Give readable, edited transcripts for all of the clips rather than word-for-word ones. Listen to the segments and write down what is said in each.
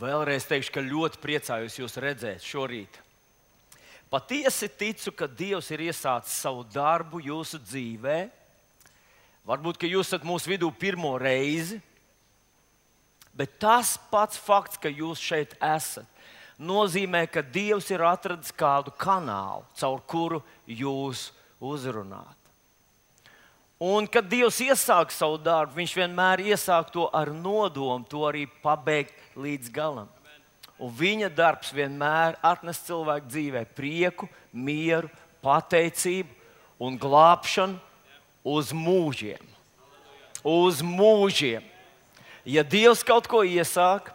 Vēlreiz teikšu, ka ļoti priecājos jūs redzēt šorīt. Patiesi ticu, ka Dievs ir iesācis savu darbu jūsu dzīvē. Varbūt, ka jūs esat mūsu vidū pirmo reizi, bet tas pats fakts, ka jūs šeit esat, nozīmē, ka Dievs ir atradis kādu kanālu, caur kuru jūs uzrunāt. Un, kad Dievs iesāk savu darbu, Viņš vienmēr iesāk to ar nodomu, to arī pabeigt līdz galam. Un Viņa darbs vienmēr atnes cilvēku dzīvē prieku, mieru, pateicību un glābšanu uz mūžiem. Uz mūžiem. Ja Dievs kaut ko iesāk,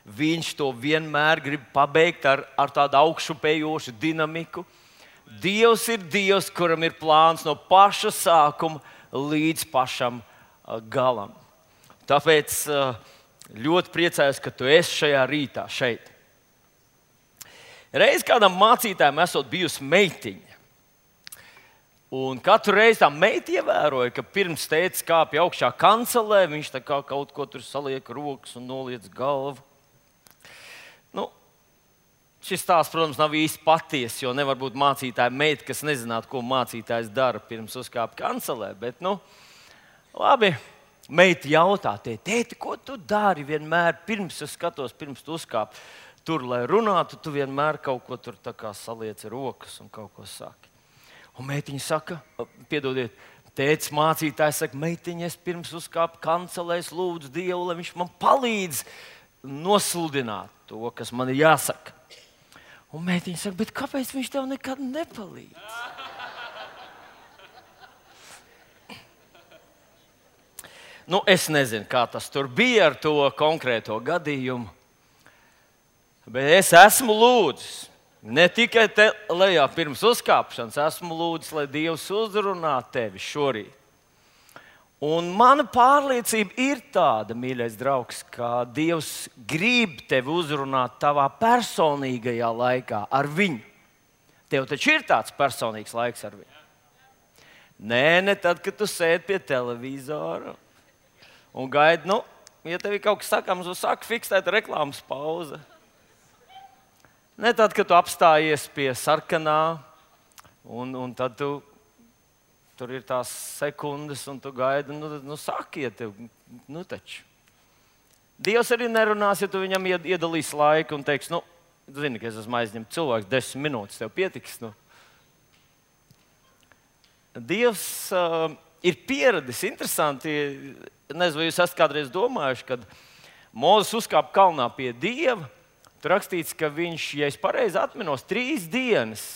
Viņš to vienmēr grib pabeigt ar tādu augšupējošu dinamiku. Dievs ir Dievs, kuram ir plāns no paša sākuma līdz pašam galam. Tāpēc ļoti priecājos, ka tu esi šajā rītā šeit. Reiz kādam mācītājam esot bijusi meitiņa. Un katru reizi tā meita ievēroja, ka pirms tētis kāpja augšā kancelē, viņš tā kā kaut ko tur saliek rokas un noliec galvu. Šis stāsts, protams, nav īsti patiess, jo nevar būt mācītāja meita, kas nezinātu, ko mācītājs dara pirms uzkāpa kancelē. Bet, labi, meita jautā, tēti, ko tu dari vienmēr pirms es skatos, pirms tu uzkāp tur, lai runātu, tu vienmēr kaut ko tur tā kā salieci rokas un kaut ko saki. Un meitiņa saka, piedodiet, tētis mācītājs saka, meitiņa, es pirms uzkāpu kancelē, es lūdzu Dievu, lai viņš man palīdz nosludināt to, kas man ir jāsaka. Un meitiņa saka, bet kāpēc viņš tev nekad nepalīdz? Es nezinu, kā tas tur bija ar to konkrēto gadījumu, bet es esmu lūdzis, ne tikai te lejā pirms uzkāpšanas, esmu lūdzis, lai Dievs uzrunā tevi šorīt. Un mana pārliecība ir tāda, mīļais draugs, ka Dievs grib tevi uzrunāt tavā personīgajā laikā ar Viņu. Tev taču ir tāds personīgs laiks ar Viņu. Ne tad, kad tu sēdi pie televizora un gaidi, ja tev ir kaut kas sakāms, tad saka fiksēt reklāmas pauze. Ne tad, kad tu apstājies pie sarkanā un tad tu tur ir tās sekundes, un tu gaidi, sakiet, taču. Dievs arī nerunās, ja tu viņam iedalīsi laiku un teiks, zini, ka es esmu aizņemts cilvēks, 10 minūtes tev pietiks. Dievs ir pieradis, interesanti, nezinu, vai jūs esat kādreiz domājuši, kad Mūzes uzkāpa kalnā pie Dieva, tur rakstīts, ka viņš, ja es pareizi atminos, 3 dienas.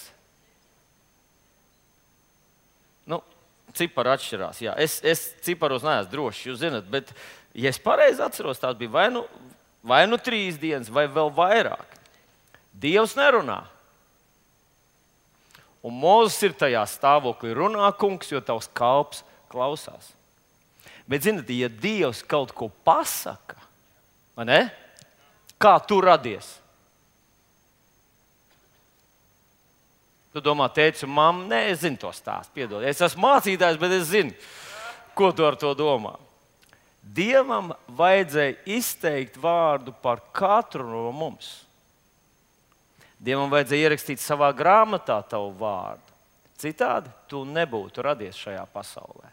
Cipari atšķirās. Jā. Es ciparos neesmu drošs, jūs zināt, bet, ja es pareizi atceros, tās bija vai nu 3 dienas, vai vēl vairāk. Dievs nerunā. Un Mūzes ir tajā stāvoklī, runā kungs, jo tavs kalps klausās. Bet, zināt, ja Dievs kaut ko pasaka, vai ne? Kā tu radies? Tu domā, tētis un mamma, nē, es zinu to stāstu, piedod. Es esmu mācītājs, bet es zinu, ko tu ar to domā. Dievam vajadzēja izteikt vārdu par katru no mums. Dievam vajadzēja ierakstīt savā grāmatā tavu vārdu. Citādi tu nebūtu radies šajā pasaulē.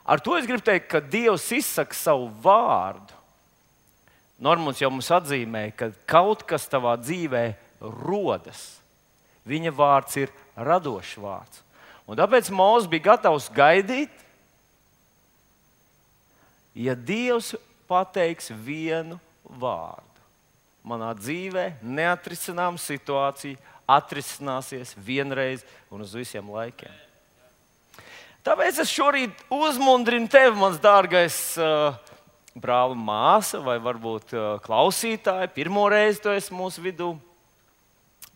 Ar to es gribu teikt, ka Dievs izsaka savu vārdu. Normons jau mums atzīmē, ka kaut kas tavā dzīvē rodas. Viņa vārds ir radošs vārds. Un tāpēc Mūzes bija gatavs gaidīt, ja Dievs pateiks vienu vārdu. Manā dzīvē neatrisināma situācija atrisināsies vienreiz un uz visiem laikiem. Tāpēc es šorīt uzmundrinu tevi, mans dārgais brāl un māsa, vai varbūt klausītāji, pirmo reizi tu esi mūsu vidū.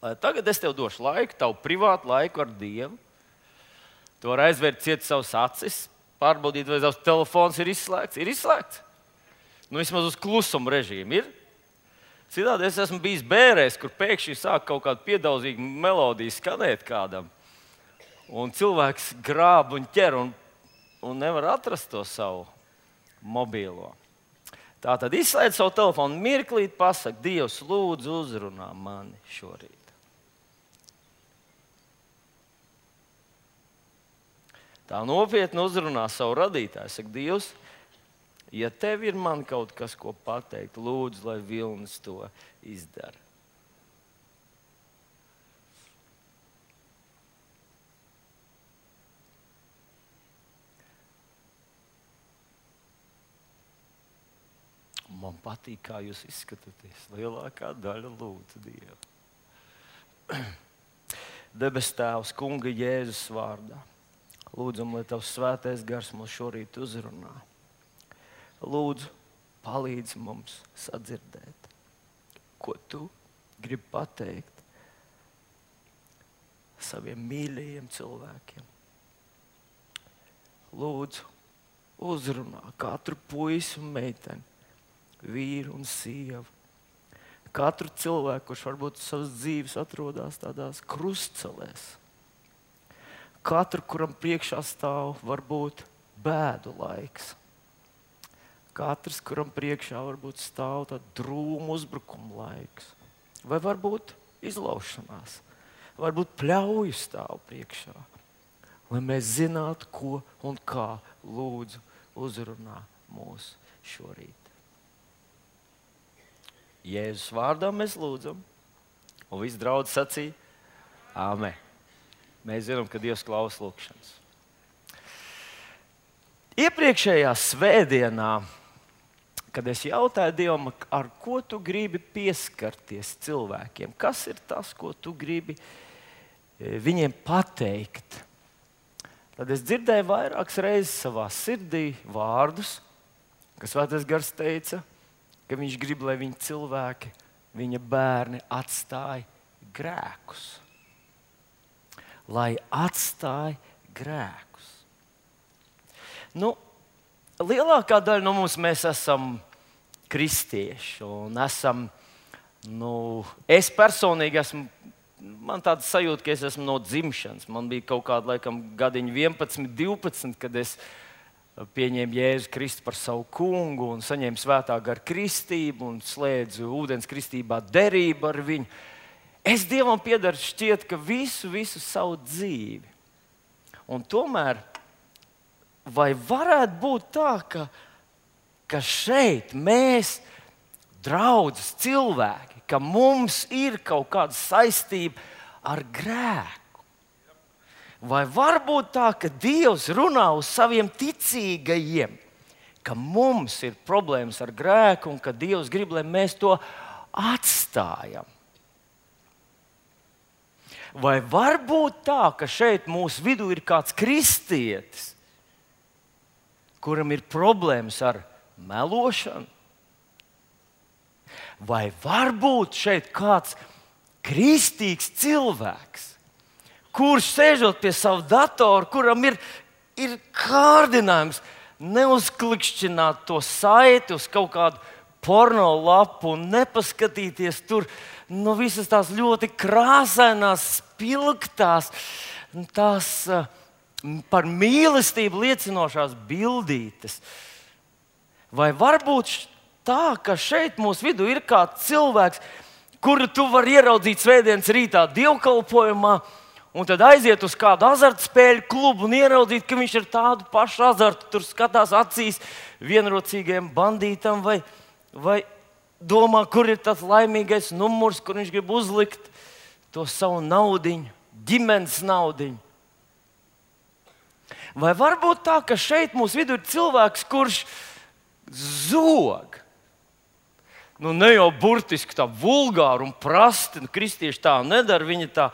Tagad es tev došu laiku, tavu privātu laiku ar Dievu. Tu vari aizvērt ciet savus acis, pārbaudīt, vai tavs telefons ir izslēgts. Ir izslēgts? Vismaz uz klusuma režīmu ir. Citādi es esmu bijis bērēs, kur pēkšņi sāk kaut kāda piedauzīga melodija skanēt kādam. Un cilvēks grāb un ķer un nevar atrast to savu mobīlo. Tā tad izslēdz savu telefonu, mirklīt pasaka, Dievs, lūdzu, uzrunā mani šorīt. Tā nopietni uzrunā savu radītāju. Saka, Dievs, ja tev ir man kaut kas, ko pateikt, lūdzu, lai Vilnis to izdara. Man patīk, kā jūs izskatāties. Lielākā daļa lūdzu Dievu. Debes Tēvs, Kunga Jēzus vārdā. Lūdzam, lai Tavs svētais gars mūs šorīt uzrunā. Lūdzu, palīdzi mums sadzirdēt, ko Tu gribi pateikt saviem mīļajiem cilvēkiem. Lūdzu, uzrunā katru puisi un meiteni, vīru un sievu. Katru cilvēku, kurš varbūt savas dzīves atrodas tādās krustcelēs. Katru, kuram priekšā stāv varbūt bēdu laiks. Katrs, kuram priekšā varbūt stāv tāds drūmu uzbrukuma laiks. Vai varbūt izlaušanās. Varbūt pļauju stāv priekšā. Lai mēs zinātu, ko un kā lūdzu uzrunā mūs šorīt. Jēzus vārdā mēs lūdzam, un viss draudz sacīja, āmen. Mēs zinām, ka Dievs klausa lūgšanas. Iepriekšējā svētdienā, kad es jautāju Dievam, ar ko Tu gribi pieskarties cilvēkiem, kas ir tas, ko Tu gribi viņiem pateikt, tad es dzirdēju vairākas reizes savā sirdī vārdus, kas Svētais Gars teica, ka viņš grib, lai viņa cilvēki, viņa bērni atstāj grēkus. Lai atstāj grēkus. Lielākā daļa no mums mēs esam kristieši. Un esam, es personīgi esmu, man tāda sajūta, ka es esmu no dzimšanas. Man bija kaut kāda laikam gadiņa 11, 12, kad es pieņēmu Jēzu Kristu par savu kungu un saņēmu svētā gara kristību un slēdzu ūdens kristībā derību ar viņu. Es Dievam piedaru šķiet, ka visu savu dzīvi. Un tomēr, vai varētu būt tā, ka šeit mēs, draudzes cilvēki, ka mums ir kaut kāda saistība ar grēku? Vai var būt tā, ka Dievs runā uz saviem ticīgajiem, ka mums ir problēmas ar grēku un ka Dievs grib, lai mēs to atstājam? Vai var būt tā, ka šeit mūsu vidū ir kāds kristietis, kuram ir problēmas ar melošanu? Vai var būt šeit kāds kristīgs cilvēks, kurš sēžot pie sava datora, kuram ir kārdinājums neuzklikšķināt to saiti uz kaut kādu porno lapu un nepaskatīties tur visas tās ļoti krāsainās, spilgtās, tās par mīlestību liecinošās bildītes. Vai varbūt tā, ka šeit mūsu vidū ir kāds cilvēks, kuru tu vari ieraudzīt svētdienas rītā dievkalpojumā, un tad aiziet uz kādu azartspēļu klubu un ieraudzīt, ka viņš ir tādu pašu azartu, tur skatās acīs vienrocīgajam bandītam, vai domā, kur ir tas laimīgais numurs, kur viņš grib uzlikt to savu naudiņu, ģimenes naudiņu. Vai varbūt tā, ka šeit mūsu vidū ir cilvēks, kurš zog? Ne jau burtiski tā vulgāri un prasti, kristieši tā nedara, viņi tā,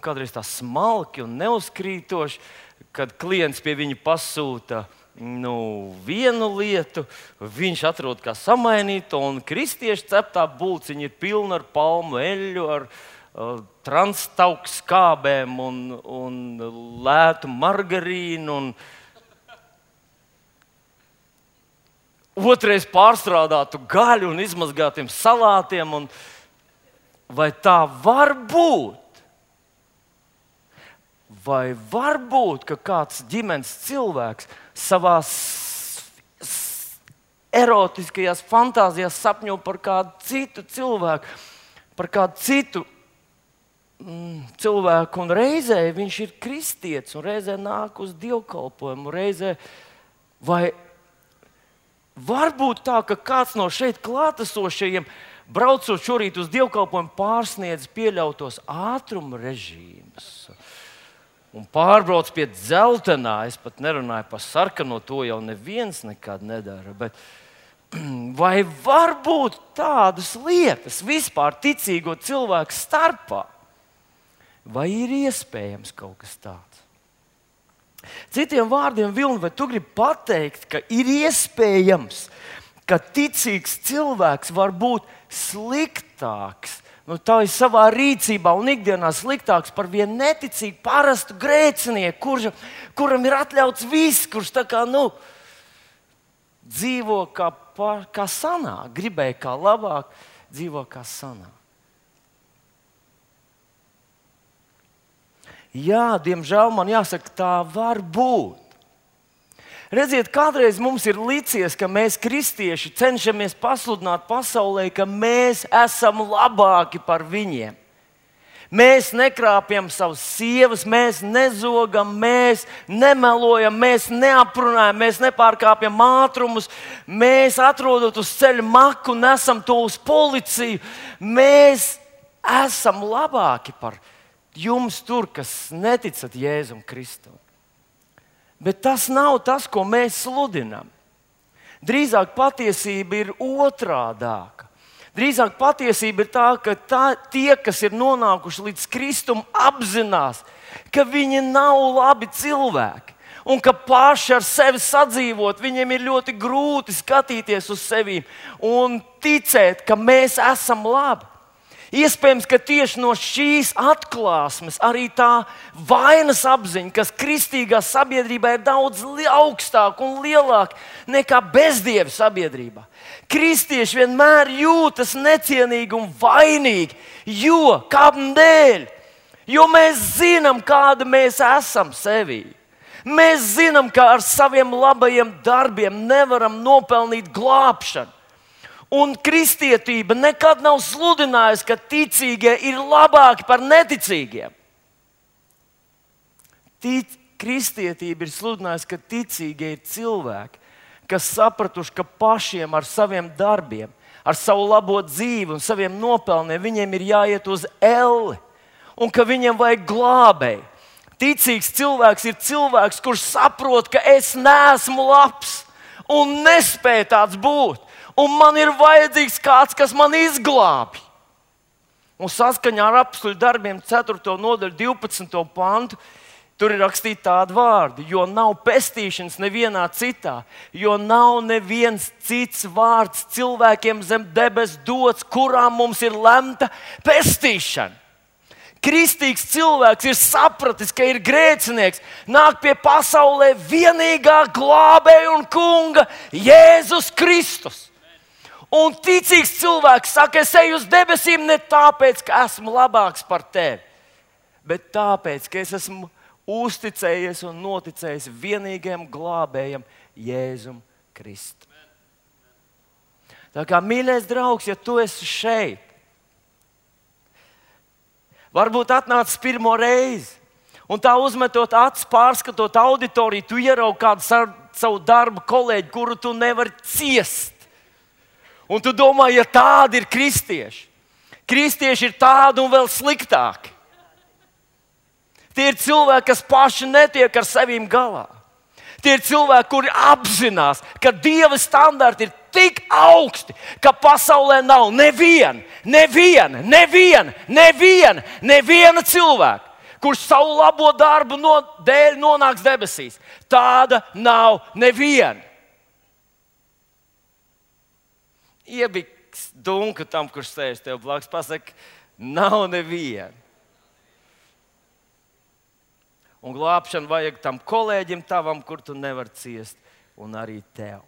kādreiz tā smalki un neuzkrītoši, kad klients pie viņa pasūta vienu lietu, viņš atrod kā samainītu, un kristiešu ceptā bulciņa ir pilna ar palmu eļļu, ar transtauku skābēm un lētu margarīnu. Otrais pārstrādātu gaļu un izmazgātiem salātiem. Vai tā var būt? Vai var būt, ka kāds ģimenes cilvēks savā erotiskajās fantāzijās sapņo par kādu citu cilvēku, par kādu citu cilvēku, un reizē viņš ir kristietis, un reizē nāk uz dievkalpojumu, reizē vai varbūt tā, ka kāds no šeit klātesošajiem, braucot šorīt uz dievkalpojumu, pārsniedz pieļautos ātruma režīmus un pārbrauc pie dzeltenā. Es pat nerunāju par sarkano, to jau neviens nekad nedara. Bet vai var būt tādas lietas vispār ticīgo cilvēku starpā? Vai ir iespējams kaut kas tāds? Citiem vārdiem, Vilni, vai tu gribi pateikt, ka ir iespējams, ka ticīgs cilvēks var būt sliktāks, tā ir savā rīcībā un ikdienā sliktāks par vienu neticīgu, parastu grēcinieku, kuram ir atļauts viss, kurš tā kā, dzīvo kā sanāk, gribēja kā labāk, dzīvo kā sanāk. Jā, diemžēl man jāsaka, tā var būt. Redziet, kādreiz mums ir licies, ka mēs, kristieši, cenšamies pasludināt pasaulē, ka mēs esam labāki par viņiem. Mēs nekrāpjam savas sievas, mēs nezogam, mēs nemelojam, mēs neaprunājam, mēs nepārkāpjam ātrumus, mēs atrodot uz ceļa maku, nesam to uz policiju. Mēs esam labāki par jums tur, kas neticat Jēzum Kristum. Bet tas nav tas, ko mēs sludinām. Drīzāk patiesība ir otrādāka. Drīzāk patiesība ir tā, ka tie, kas ir nonākuši līdz Kristum, apzinās, ka viņi nav labi cilvēki. Un ka paši ar sevi sadzīvot, viņiem ir ļoti grūti skatīties uz sevi un ticēt, ka mēs esam labi. Iespējams, ka tieši no šīs atklāsmes arī tā vainas apziņa, kas kristīgā sabiedrībā ir daudz augstāka un lielāka nekā bezdievu sabiedrībā. Kristieši vienmēr jūtas necienīgi un vainīgi, kādēļ? Jo mēs zinām, kāda mēs esam sevī. Mēs zinām, ka ar saviem labajiem darbiem nevaram nopelnīt glābšanu. Un kristietība nekad nav sludinājusi, ka ticīgie ir labāki par neticīgiem. Kristietība ir sludinājusi, ka ticīgie ir cilvēki, kas sapratuši, ka pašiem ar saviem darbiem, ar savu labo dzīvi un saviem nopelniem viņiem ir jāiet uz elli un ka viņiem vajag glābēju. Ticīgs cilvēks ir cilvēks, kurš saprot, ka es neesmu labs un nespēju tāds būt. Un man ir vajadzīgs kāds, kas man izglābj. Un saskaņā ar Apostļu darbiem 4. nodaļu 12. pantu tur ir rakstīti tādi vārdi: jo nav pestīšanas nevienā citā, jo nav neviens cits vārds cilvēkiem zem debes dots, kurām mums ir lemta pestīšana. Kristīgs cilvēks ir sapratis, ka ir grēcinieks, nāk pie pasaulē vienīgā glābēja un kunga Jēzus Kristus. Un ticīgs cilvēks saka, es eju uz debesīm ne tāpēc, ka esmu labāks par tevi, bet tāpēc, ka es esmu uzticējies un noticējis vienīgajam glābējam Jēzum Kristum. Tā kā, mīļais draugs, ja tu esi šeit, varbūt atnācis pirmo reizi, un tā uzmetot acis, pārskatot auditoriju, tu ieraugi kādu savu darbu kolēģi, kuru tu nevari ciest. Un tu domā, ja tādi ir kristieši. Kristieši ir tādi un vēl sliktāki. Tie ir cilvēki, kas paši netiek ar sevīm galā. Tie ir cilvēki, kuri apzinās, ka Dieva standarti ir tik augsti, ka pasaulē nav neviena cilvēka, kurš savu labo darbu dēļ nonāks debesīs. Tāda nav neviena. Iebiks dunku tam, kurš sēž tev blakus, pasaka, nav neviena. Un glābšanu vajag tam kolēģim tavam, kur tu nevari ciest, un arī tev.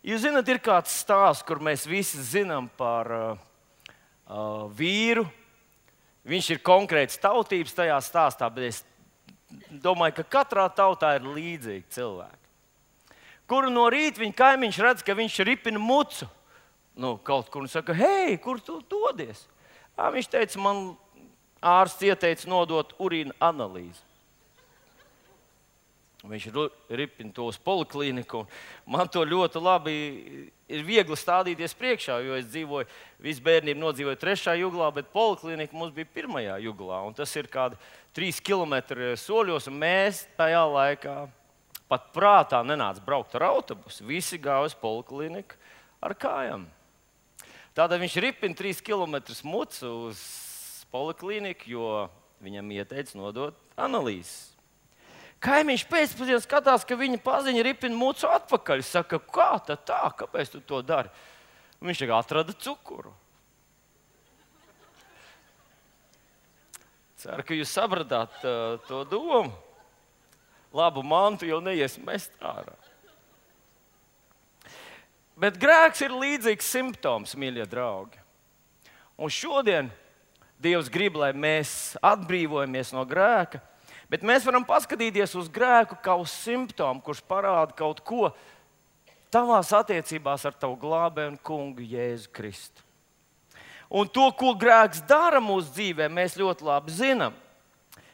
Jūs zināt, ir kāds stāsts, kur mēs visi zinām par vīru. Viņš ir konkrēts tautības tajā stāstā, bet es domāju, ka katrā tautā ir līdzīgi cilvēki. Kuru no rīta viņa kaimiņš redz, ka viņš ripina mucu. Kaut kur un saka, hei, kur tu dodies? Viņš teica, man ārsts ieteica nodot urīna analīzi. Viņš ripina to uz poliklīniku. Man to ļoti labi ir viegli stādīties priekšā, jo es dzīvoju, visu bērnību nodzīvoju 3. juglā, bet poliklīnika mums bija 1. juglā. Un tas ir kādi 3 kilometri soļos, un mēs tajā laikā pat prātā nenāca braukt ar autobusu. Visi gāja uz poliklīniku ar kājām. Tātad viņš ripina 3 kilometrus mucu uz poliklīniku, jo viņam ieteica nodot analīzes. Kaimiņš pēcpusdienā skatās, ka viņa paziņa ripina mucu atpakaļ. Saka, kā tad tā? Kāpēc tu to dari? Viņš atrada cukuru. Ceru, ka jūs sapratāt to domu. Labu mantu jau neies mest ārā. Bet grēks ir līdzīgs simptoms, mīļie draugi. Un šodien Dievs grib, lai mēs atbrīvojamies no grēka, bet mēs varam paskatīties uz grēku kā uz simptomu, kurš parāda kaut ko tavās attiecībās ar tavu glābēju un kungu Jēzu Kristu. Un to, ko grēks dara mūsu dzīvē, mēs ļoti labi zinām.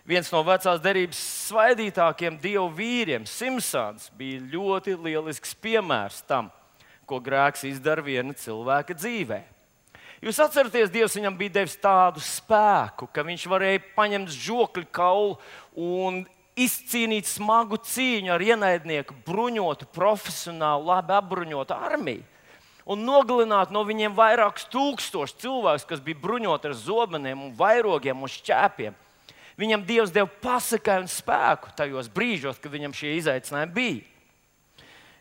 Viens no vecās derības svaidītākiem dievu vīriem, Simpsons, bija ļoti lielisks piemērs tam, ko grēks izdara viena cilvēka dzīvē. Jūs atceraties, Dievs viņam bija devis tādu spēku, ka viņš varēja paņemt žokļu kaulu un izcīnīt smagu cīņu ar ienaidnieku, bruņotu, profesionālu, labi apbruņotu armiju. Un nogalināt no viņiem vairākus tūkstošus cilvēkus, kas bija bruņoti ar zobeniem, un vairogiem un šķēpiem. Viņam Dievs deva pasakai un spēku tajos brīžos, kad viņam šie izaicinājumi bija.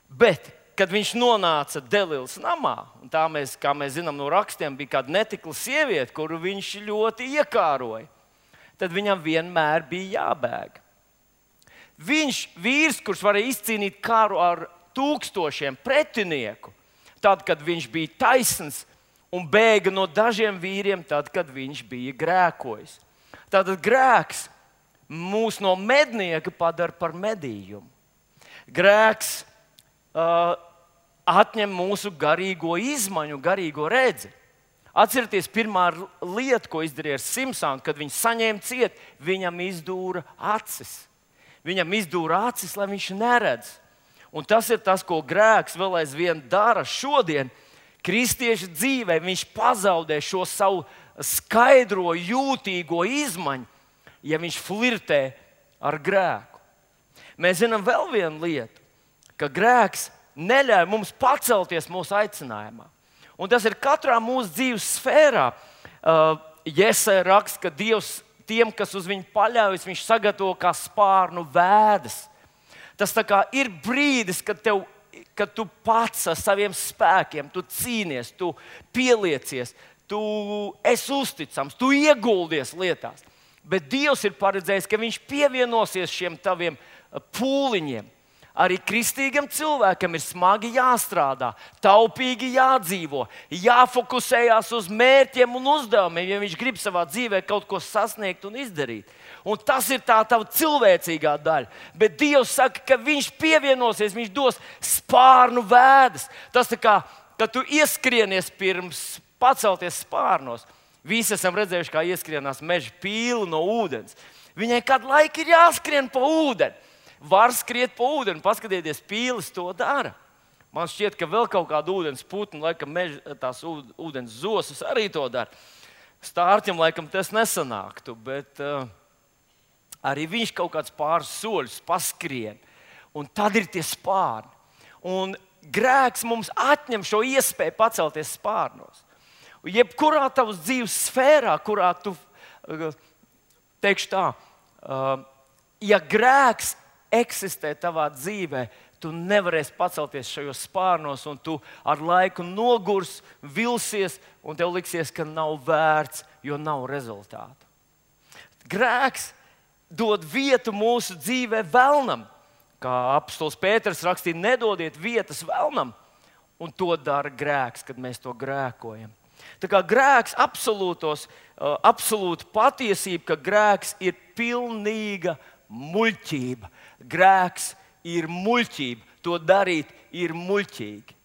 Bet kad viņš nonāca Delilas namā, un tā mēs, kā mēs zinām no rakstiem, bija kāda netikla sieviete, kuru viņš ļoti iekāroja, tad viņam vienmēr bija jābēg. Viņš, vīrs, kurš varēja izcīnīt karu ar tūkstošiem pretinieku, tad, kad viņš bija taisns, un bēga no dažiem vīriem, tad, kad viņš bija grēkojis. Tātad grēks mūs no mednieka padara par medījumu. Grēks atņem mūsu garīgo izmaņu, garīgo redzi. Atcerieties, pirmā lieta, ko izdarīja ar Simpsonu, kad viņš saņēma ciet, viņam izdūra acis. Viņam izdūra acis, lai viņš neredz. Un tas ir tas, ko grēks vēl aizvien dara šodien. Kristieša dzīvē viņš pazaudē šo savu skaidro, jūtīgo izmaņu, ja viņš flirtē ar grēku. Mēs zinām vēl vienu lietu, ka grēks neļauj mums pacelties mūsu aicinājumā. Un tas ir katrā mūsu dzīves sfērā. Jesaja raksta, ka Dievs tiem, kas uz viņu paļaujas, viņš sagatavo kā spārnu vēdas. Tas tā kā ir brīdis, kad tu pats ar saviem spēkiem, tu cīnies, tu pieliecies, tu esi uzticams, tu ieguldies lietās. Bet Dievs ir paredzējis, ka viņš pievienosies šiem taviem pūliņiem. Arī kristīgam cilvēkam ir smagi jāstrādā, taupīgi jādzīvo, jāfokusējās uz mērķiem un uzdevumiem, ja viņš grib savā dzīvē kaut ko sasniegt un izdarīt. Un tas ir tā tava cilvēcīgā daļa. Bet Dievs saka, ka viņš pievienosies, viņš dos spārnu vēdas. Tas tā kā, kad tu ieskrienies pirms pacelties spārnos. Visi esam redzējuši, kā ieskrienās meža pīli no ūdens. Viņai kādu laiku ir jāskrien pa ūdeni. Var skriet pa ūdeni, paskatieties, pīlis to dara. Man šķiet, ka vēl kaut kāda ūdens putna, laikam tās ūdens zosis arī to dara. Stārķim laikam tas nesanāktu, bet arī viņš kaut kāds pāris soļus paskrien. Un tad ir tie spārni. Un grēks mums atņem šo iespēju pacelties spārnos. Jebkurā tavas dzīves sfērā, kurā tu, teikšu tā, ja grēks eksistē tavā dzīvē, tu nevarēsi pacelties šajos spārnos, un tu ar laiku nogurs, vilsies, un tev liksies, ka nav vērts, jo nav rezultātu. Grēks dod vietu mūsu dzīvē velnam. Kā apostols Pēters rakstīja, nedodiet vietas velnam, un to dara grēks, kad mēs to grēkojam. Tā kā grēks absolūta patiesība, ka grēks ir pilnīga muļķība. Grēks ir muļķība. To darīt ir muļķīgi.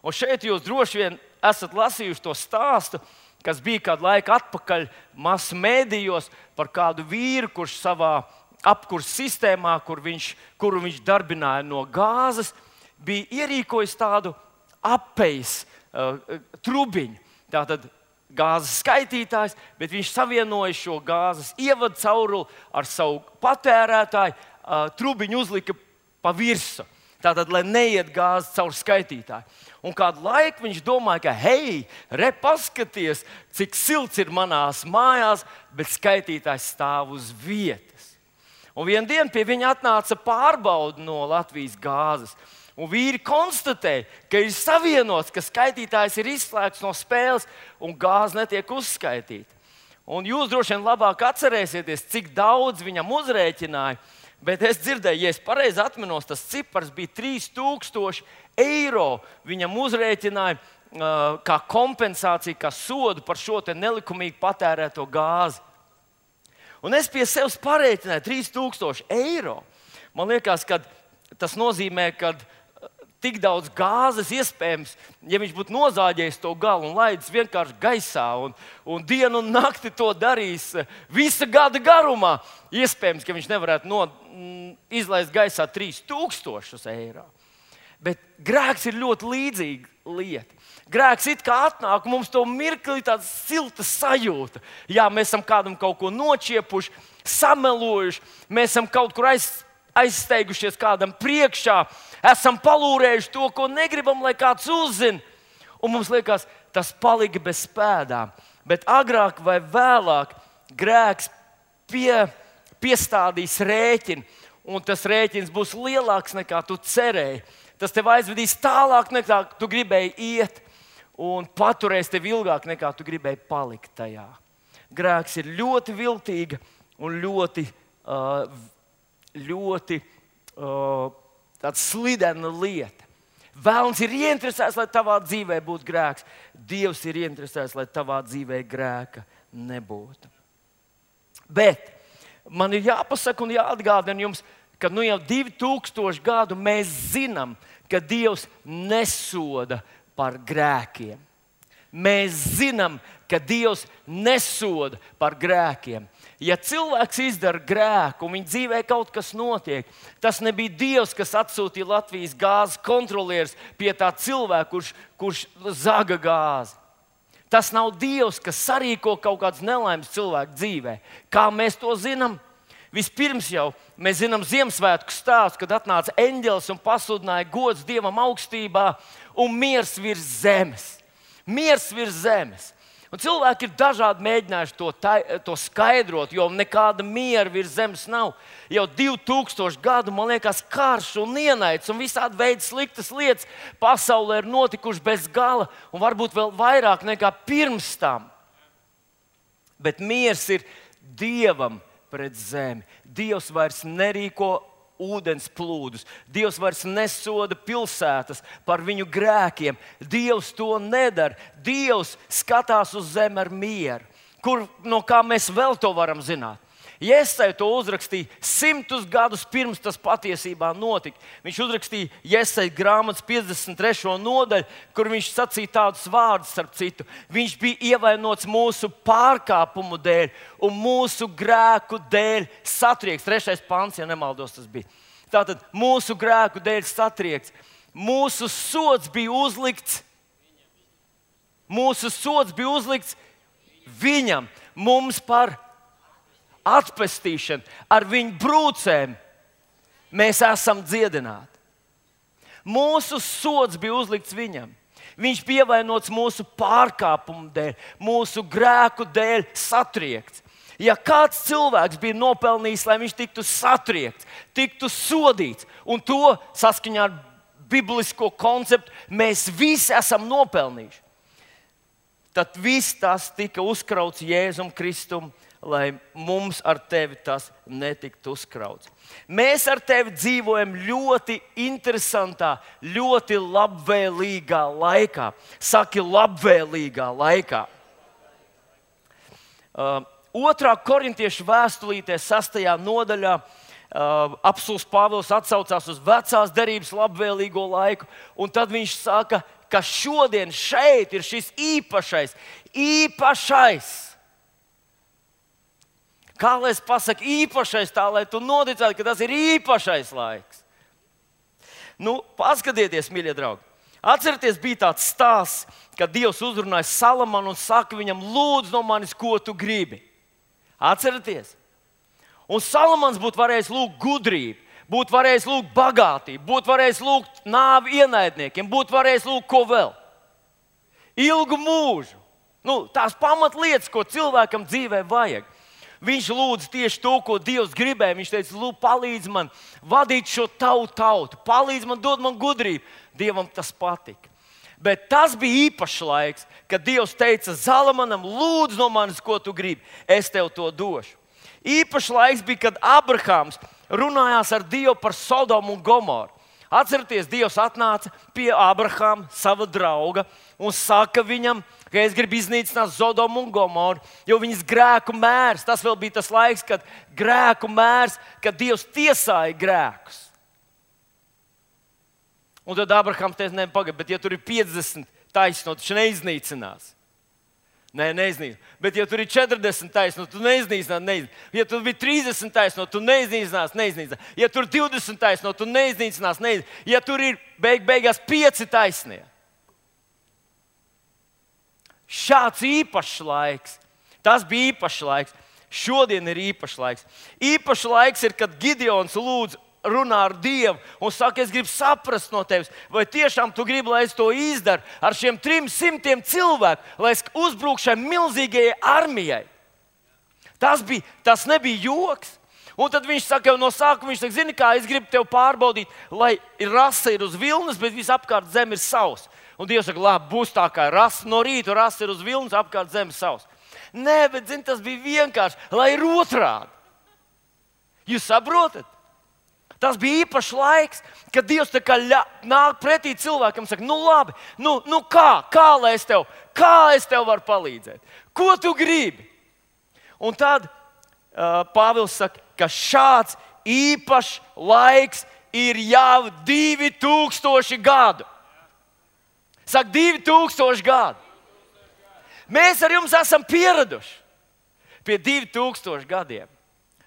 Un šeit jūs droši vien esat lasījuši to stāstu, kas bija kādu laiku atpakaļ masu mēdījos par kādu vīru, kurš savā apkurss sistēmā, kuru viņš darbināja no gāzes, bija ierīkojis tādu apejas trubiņu. Tātad gāzes skaitītājs, bet viņš savienoja šo gāzes ievadu cauruli ar savu patērētāju, trubiņu uzlika pa virsu. Tātad, lai neiet gāze caur skaitītāju. Un kādu laiku viņš domāja, ka, hei, paskaties, cik silts ir manās mājās, bet skaitītājs stāv uz vietas. Un vienā dienā pie viņa atnāca pārbaude no Latvijas gāzes. Un vīri konstatēja, ka ir savienots, ka skaitītājs ir izslēgts no spēles un gāze netiek uzskaitīta. Un jūs droši vien labāk atcerēsieties, cik daudz viņam uzrēķināja. Bet es dzirdēju, ja es pareizi atminos, tas cipars bija 3000 eiro. Viņam uzrēķināja kā kompensāciju, kā sodu par šo nelikumīgi patērēto gāzi. Un es pie sevis parēķināju 3000 eiro. Man liekas, ka tas nozīmē, ka tik daudz gāzes iespējams, ja viņš būtu nozāģējis to galu un laidis vienkārši gaisā un dienu un nakti to darīs visa gada garumā, iespējams, ka viņš nevarētu izlaist gaisā 3000 eiro. Bet grēks ir ļoti līdzīga lieta. Grēks it kā atnāk, mums to mirkli tāda silta sajūta. Jā, mēs esam kādam kaut ko nočiepuši, samelojuši, mēs esam kaut kur aizsteigušies kādam priekšā, esam palūrējuši to, ko negribam, lai kāds uzzina. Un mums liekas, tas palika bez pēdām. Bet agrāk vai vēlāk grēks piestādīs rēķinu, un tas rēķins būs lielāks nekā tu cerēji. Tas tev aizvedīs tālāk nekā tu gribēji iet, un paturēs tevi ilgāk nekā tu gribēji palikt tajā. Grēks ir ļoti viltīga un ļoti tāda slidena lieta. Vēlns ir ieinteresēts, lai tavā dzīvē būtu grēks. Dievs ir ieinteresēts, lai tavā dzīvē grēka nebūtu. Bet man ir jāpasaka un jāatgādina jums, ka jau 2000 gadu mēs zinām, ka Dievs nesoda par grēkiem. Mēs zinām, ka Dievs nesoda par grēkiem. Ja cilvēks izdara grēku un viņa dzīvē kaut kas notiek, tas nebija Dievs, kas atsūtīja Latvijas gāzes kontrolieris pie tā cilvēka, kurš zaga gāzi. Tas nav Dievs, kas sarīko kaut kādas nelaimes cilvēku dzīvē. Kā mēs to zinām? Vispirms jau mēs zinām Ziemassvētku stāstu, kad atnāca eņģelis un pasludināja gods Dievam augstībā un miers virs zemes. Miers virs zemes. Un cilvēki ir dažādi mēģinājuši to skaidrot, jo nekāda miera virs zemes nav. Jau 2000 gadu, man liekas, karš un ienaids un visādi veidi sliktas lietas pasaulē ir notikuši bez gala un varbūt vēl vairāk nekā pirms tam. Bet miers ir Dievam pret zemi. Dievs vairs nerīko ūdens plūdus. Dievs vairs nesoda pilsētas par viņu grēkiem. Dievs to nedara. Dievs skatās uz zemi ar mieru. No kā mēs vēl to varam zināt? Jesaja to uzrakstīja 100 gadus pirms tas patiesībā notika. Viņš uzrakstīja Jesaja grāmatas 53. nodaļu, kur viņš sacīja tādus vārdus, starp citu. Viņš bija ievainots mūsu pārkāpumu dēļ un mūsu grēku dēļ satriekts. 3. pants, ja nemaldos, tas bija. Tātad mūsu grēku dēļ satriekts. Mūsu sods bija uzlikts. Mūsu sods bija uzlikts viņam, mums par atpestīšanu, ar viņu brūcēm mēs esam dziedināti. Mūsu sods bija uzlikts viņam. Viņš bija ievainots mūsu pārkāpumu dēļ, mūsu grēku dēļ satriekts. Ja kāds cilvēks bija nopelnījis, lai viņš tiktu satriekts, tiktu sodīts, un to saskaņā ar biblisko konceptu mēs visi esam nopelnījuši, tad viss tas tika uzkrauts Jēzum Kristum, lai mums ar tevi tas netiktu uzkrauts. Mēs ar tevi dzīvojam ļoti interesantā, ļoti labvēlīgā laikā. Saki, labvēlīgā laikā. 2. Korintiešu vēstulītē 6. nodaļā Apostuls Pāvils atsaucās uz vecās derības labvēlīgo laiku, un tad viņš saka, ka šodien šeit ir šis īpašais. Kā lai es pasaku īpašais, tā lai tu noticētu, ka tas ir īpašais laiks. Paskatieties, mīļie draugi. Atcerieties, bija tāds stāsts, kad Dievs uzrunāja Salamanu un saka viņam, lūdzu no manis, ko tu gribi. Atcerieties. Un Salamans būtu varējis lūgt gudrību, būtu varējis lūgt bagātību, būtu varējis lūgt nāvi ienaidniekiem, būtu varējis lūgt ko vēl. Ilgu mūžu. Tās pamatlietas, ko cilvēkam dzīvē vajag. Viņš lūdza tieši to, ko Dievs gribēja. Viņš teica, lūdzu, palīdz man vadīt šo tautu, palīdz man, dod man gudrību. Dievam tas patika. Bet tas bija īpašs laiks, kad Dievs teica Salamanam, lūdzu no manis, ko tu gribi, es tev to došu. Īpašs laiks bija, kad Abrahams runājās ar Dievu par Sodomu un Gomoru. Atcerieties, Dievs atnāca pie Abrahama, sava drauga, un saka viņam, ka es gribu iznīcināt Sodomu un Gomoru, jo viņas grēku mērs, tas vēl bija tas laiks, kad grēku mērs, kad Dievs tiesāja grēkus. Un tad Abrahams teica, pagaid, bet ja tur ir 50 taisno, taču neiznīcinās. Neiznīcinās. Bet ja tur ir 40 taisno, tu neiznīcinās. Ja tur bija 30 taisno, tu neiznīcinās. Ja tur ir 20 taisno, tu neiznīcinās. Ja tur ir beigās 5 taisnie. Šāds īpašs laiks. Tas bija īpašs laiks. Šodien ir īpašs laiks. Īpašs laiks ir, kad Gideons lūdz runā ar Dievu un saka, es gribu saprast no tevis, vai tiešām tu gribi, lai es to izdaru ar šiem 300 cilvēku, lai es uzbrukšu šai milzīgajai armijai. Tas nebija joks. Un tad viņš saka, no sākuma viņš saka, zini kā, es gribu tev pārbaudīt, lai rasa ir uz vilnas, bet visapkārt zeme ir sausa. Un Dievs saka, labi, būs tā kā rasa no rīta, rasa ir uz vilnas, apkārt zeme sausa. Nē, bet zini, tas bija vienkārši, lai ir otrādi. Jūs saprotat? Tas bija īpašs laiks, kad Dievs nāk pretī cilvēkam un saka, labi, kā es tev varu palīdzēt? Ko tu gribi? Un tad Pāvils saka, ka šāds īpašs laiks ir jau 2000 gadu. Saka, 2000 gadu. Mēs ar jums esam pieraduši pie 2000 gadiem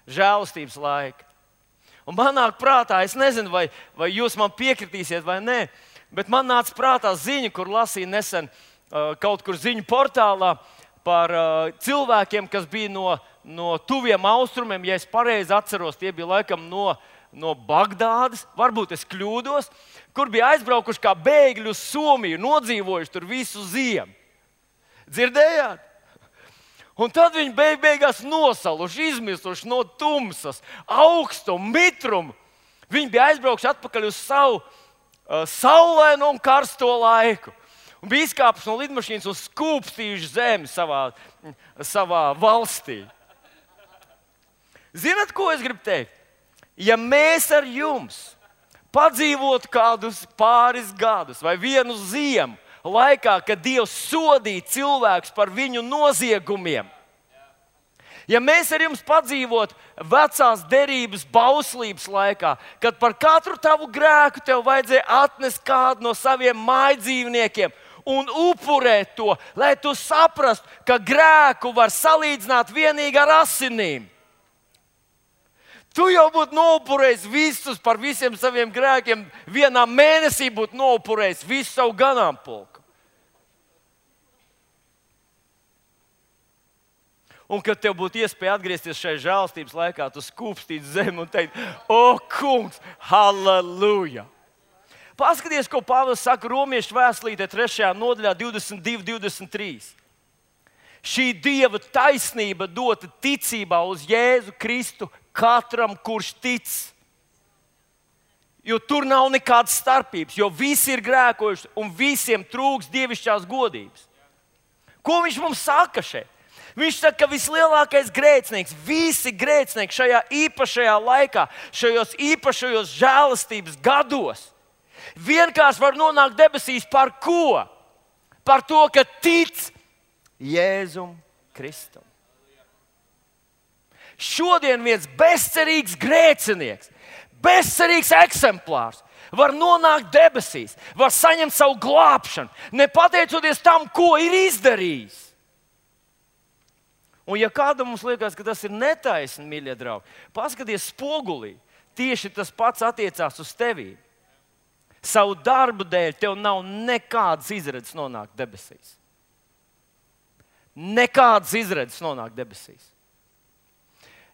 žēlastības laika. Un man nāk prātā, es nezinu, vai jūs man piekritīsiet vai nē, bet man nāca prātā ziņa, kur lasīju nesen kaut kur ziņu portālā par cilvēkiem, kas bija no tuviem austrumiem. Ja es pareizi atceros, tie bija laikam no Bagdādas, varbūt es kļūdos, kur bija aizbraukuši kā bēgļi uz Somiju, nodzīvojuši tur visu ziemu. Dzirdējāt? Un tad viņi beigās nosaluši, izmisuši no tumsas, augstuma, mitruma. Viņi bija aizbraukuši atpakaļ uz savu saulaino un karsto laiku. Un bija izkāpuši no lidmašīnas un skūpstījuši zemi savā valstī. Zināt, ko es gribu teikt? Ja mēs ar jums padzīvotu kādus pāris gadus vai vienu ziemu, laikā, kad Dievs sodīja cilvēkus par viņu noziegumiem. Ja mēs ar jums padzīvotu vecās derības bauslības laikā, kad par katru tavu grēku tev vajadzēja atnest kādu no saviem mājdzīvniekiem un upurēt to, lai tu saprastu, ka grēku var salīdzināt vienīgi ar asinīm. Tu jau būtu noupurējis visus par visiem saviem grēkiem. Vienā mēnesī būtu noupurējis visu savu ganāmpulku. Un, kad tev būtu iespēja atgriezties šajā žēlastības laikā, tu skūpstītu zemi un teikt, o, kungs, halleluja! Paskaties, ko Pāvils saka Romiešu vēstulītē 3. nodaļā 22-23. Šī Dieva taisnība dota ticībā uz Jēzu Kristu katram, kurš tic. Jo tur nav nekādas starpības, jo visi ir grēkojuši un visiem trūks dievišķās godības. Ko viņš mums saka šeit? Viņš saka, ka vislielākais grēcinieks, visi grēcinieki šajā īpašajā laikā, šajos īpašajos žēlastības gados, vienkārši var nonākt debesīs par ko? Par to, ka tic Jēzum Kristum. šodien viens bezcerīgs grēcinieks, bezcerīgs eksemplārs var nonākt debesīs, var saņemt savu glābšanu, nepateicoties tam, ko ir izdarījis. Un ja kādam mums liekas, ka tas ir netaisni, mīļie draugi, paskaties spogulī, tieši tas pats attiecās uz tevi. Savu darbu dēļ tev nav nekādas izredzes nonākt debesīs. Nekādas izredzes nonākt debesīs.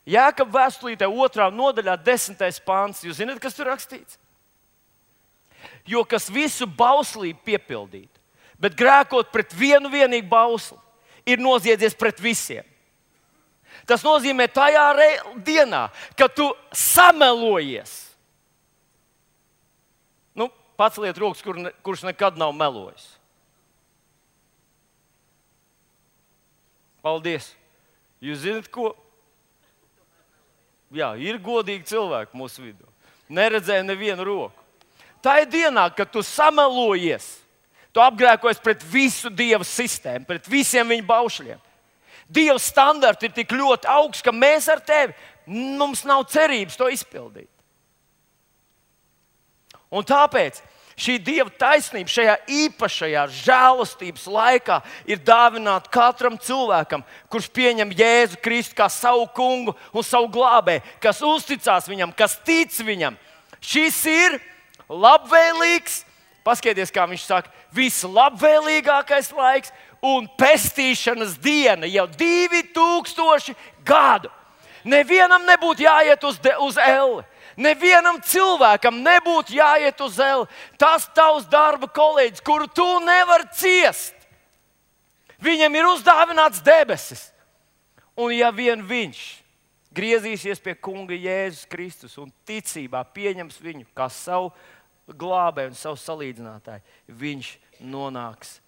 Jākaba vēstulītē 2. nodaļā 10. pāns. Jūs zināt, kas tur rakstīts? Jo kas visu bauslību piepildīt, bet grēkot pret vienu vienīgu bausli, ir noziedzies pret visiem. Tas nozīmē tajā dienā, kad tu samelojies. Paceliet rokas, kurš nekad nav melojis. Paldies! Jūs zināt, ko? Jā, ir godīgi cilvēki mūsu vidū. Neredzēju nevienu roku. Tā ir dienā, kad tu samelojies. Tu apgrēkojies pret visu Dieva sistēmu, pret visiem viņa baušļiem. Dieva standarti ir tik ļoti augsts, ka mēs ar tevi, mums nav cerības to izpildīt. Un tāpēc šī Dieva taisnība šajā īpašajā žēlastības laikā ir dāvināta katram cilvēkam, kurš pieņem Jēzu Kristu kā savu kungu un savu glābēju, kas uzticās viņam, kas tic viņam. Šis ir labvēlīgs, paskatieties, kā viņš saka, vislabvēlīgākais laiks un pestīšanas diena jau 2000 gadu. Nevienam nebūtu jāiet uz elli. Nevienam cilvēkam nebūtu jāiet uz elli. Tas tavs darba kolēģis, kuru tu nevari ciest. Viņam ir uzdāvināts debesis. Un ja vien viņš griezīsies pie kunga Jēzus Kristus un ticībā pieņems viņu kā savu glābēju un savu salīdzinātāju, viņš nonāks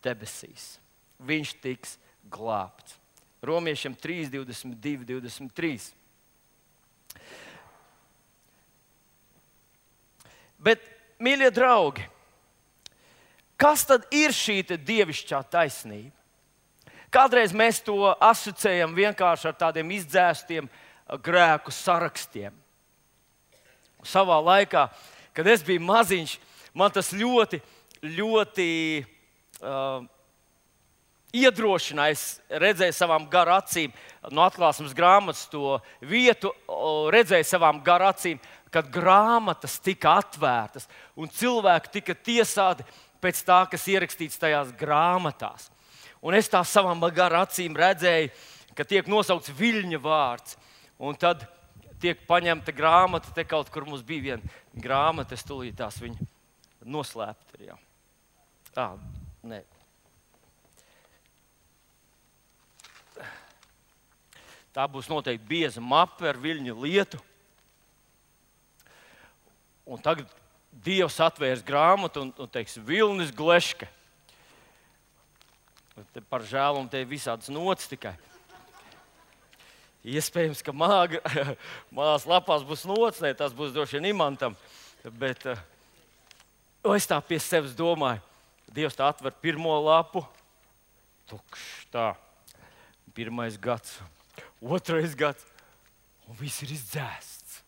debesīs. Viņš tiks glābts. Romiešiem 3, 22, 23. Bet, mīļie draugi, kas tad ir šī dievišķā taisnība? Kādreiz mēs to asociējam vienkārši ar tādiem izdzēstiem grēku sarakstiem. Savā laikā, kad es biju maziņš, man tas ļoti iedrošināja. Es redzēju savām garu acīm, no atklāsmes grāmatas to vietu, redzēju savām garu acīm, kad grāmatas tika atvērtas un cilvēki tika tiesāti pēc tā, kas ierakstīts tajās grāmatās. Un es tā savām garu acīm redzēju, ka tiek nosaukts viļņa vārds. Un tad tiek paņemta grāmata, te kaut kur mums bija viena grāmata, es tūlīt tās viņu noslēpt. Nē. Tā būs noteikti bieza mape ar viļņu lietu. Un tagad Dievs atvērs grāmatu un teiks, Vilnis Gleške. Par žēlumu te ir visādas nots tikai. Iespējams, ka mās lapās būs nots, ne, tas būs droši vien imantam. Bet es tā pie sevis domāju, Dievs tā atver pirmo lapu, tukšs tā, 1. gads, 2. gads, un viss ir izdzēsts.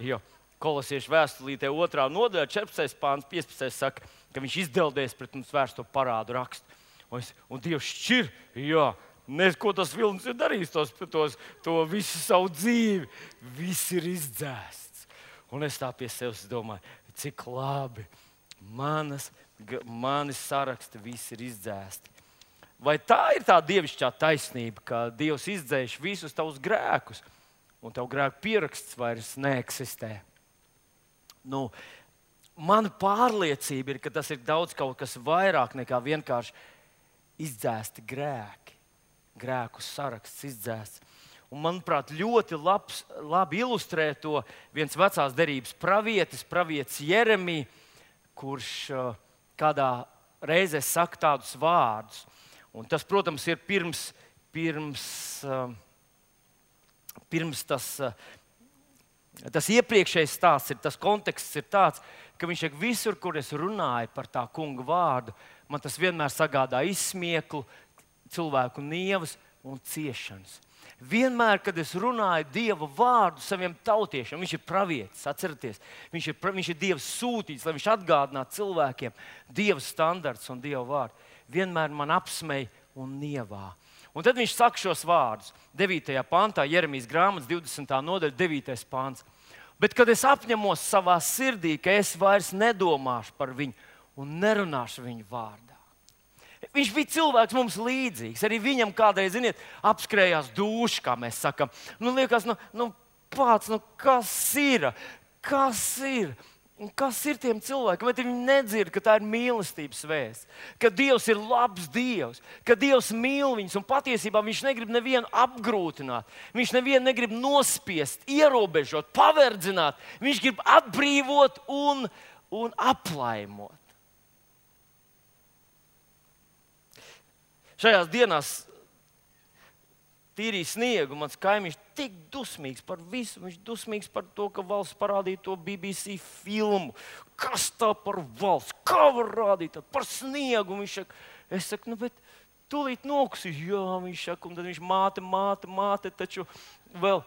Jo Kolosiešu vēstulītē 2. nodaļā 14. pāns 15. saka, ka viņš izdeldēs pret mums vērsto parādu rakstu. Un Dievs šķir, ko tas vilnis ir darījis, to visu savu dzīvi. Viss ir izdzēsts. Un es tā pie sevis domāju, cik labi, manis saraksti visi ir izdzēsti. Vai tā ir tā dievišķā taisnība, ka Dievs izdzēš visus tavus grēkus, un tavu grēku pieraksts vairs neeksistē? Mana pārliecība ir, ka tas ir daudz kaut kas vairāk nekā vienkārši izdzēsti grēki. Grēku saraksts izdzēsts. Un, manuprāt, ļoti labi ilustrē to viens vecās derības pravietis Jeremija, kurš kādā reizē saka tādus vārdus. Un tas, protams, ir pirms tas iepriekšējais stāsts, tas konteksts ir tāds, ka viņš saka, visur, kur es runāju par tā kunga vārdu, man tas vienmēr sagādā izsmieklu, cilvēku nievas un ciešanas. Vienmēr, kad es runāju Dieva vārdu saviem tautiešiem, viņš ir pravietis, atcerieties, viņš ir Dieva sūtīts, lai viņš atgādinātu cilvēkiem Dieva standarts un Dieva vārdu. Vienmēr man apsmej un nievā. Un tad viņš saka šos vārdus 9. pantā, Jeremijas grāmatas 20. nodaļa, 9. pants. Bet kad es apņemos savā sirdī, ka es vairs nedomāšu par viņu un nerunāšu viņu vārdā. Viņš bija cilvēks mums līdzīgs. Arī viņam kādreiz, ziniet, apskrējās duša, kā mēs sakam. Liekas, pats, kas ir? Kas ir? Kas ir tiem cilvēkiem? Vai viņi nedzird, ka tā ir mīlestības vēsts? Ka Dievs ir labs Dievs, ka Dievs mīl viņus un patiesībā viņš negrib nevienu apgrūtināt. Viņš nevienu negrib nospiest, ierobežot, paverdzināt. Viņš grib atbrīvot un aplaimot. Šajās dienās tīrīja sniegu. Mans kaimiņš tik dusmīgs par visu. Viņš dusmīgs par to, ka valsts parādīja to BBC filmu. Kas tā par valsts? Kā var rādīt par sniegu? Es saku, bet tūlīt nokusīs. Jā, viņš saka, un tad viņš māte, taču vēl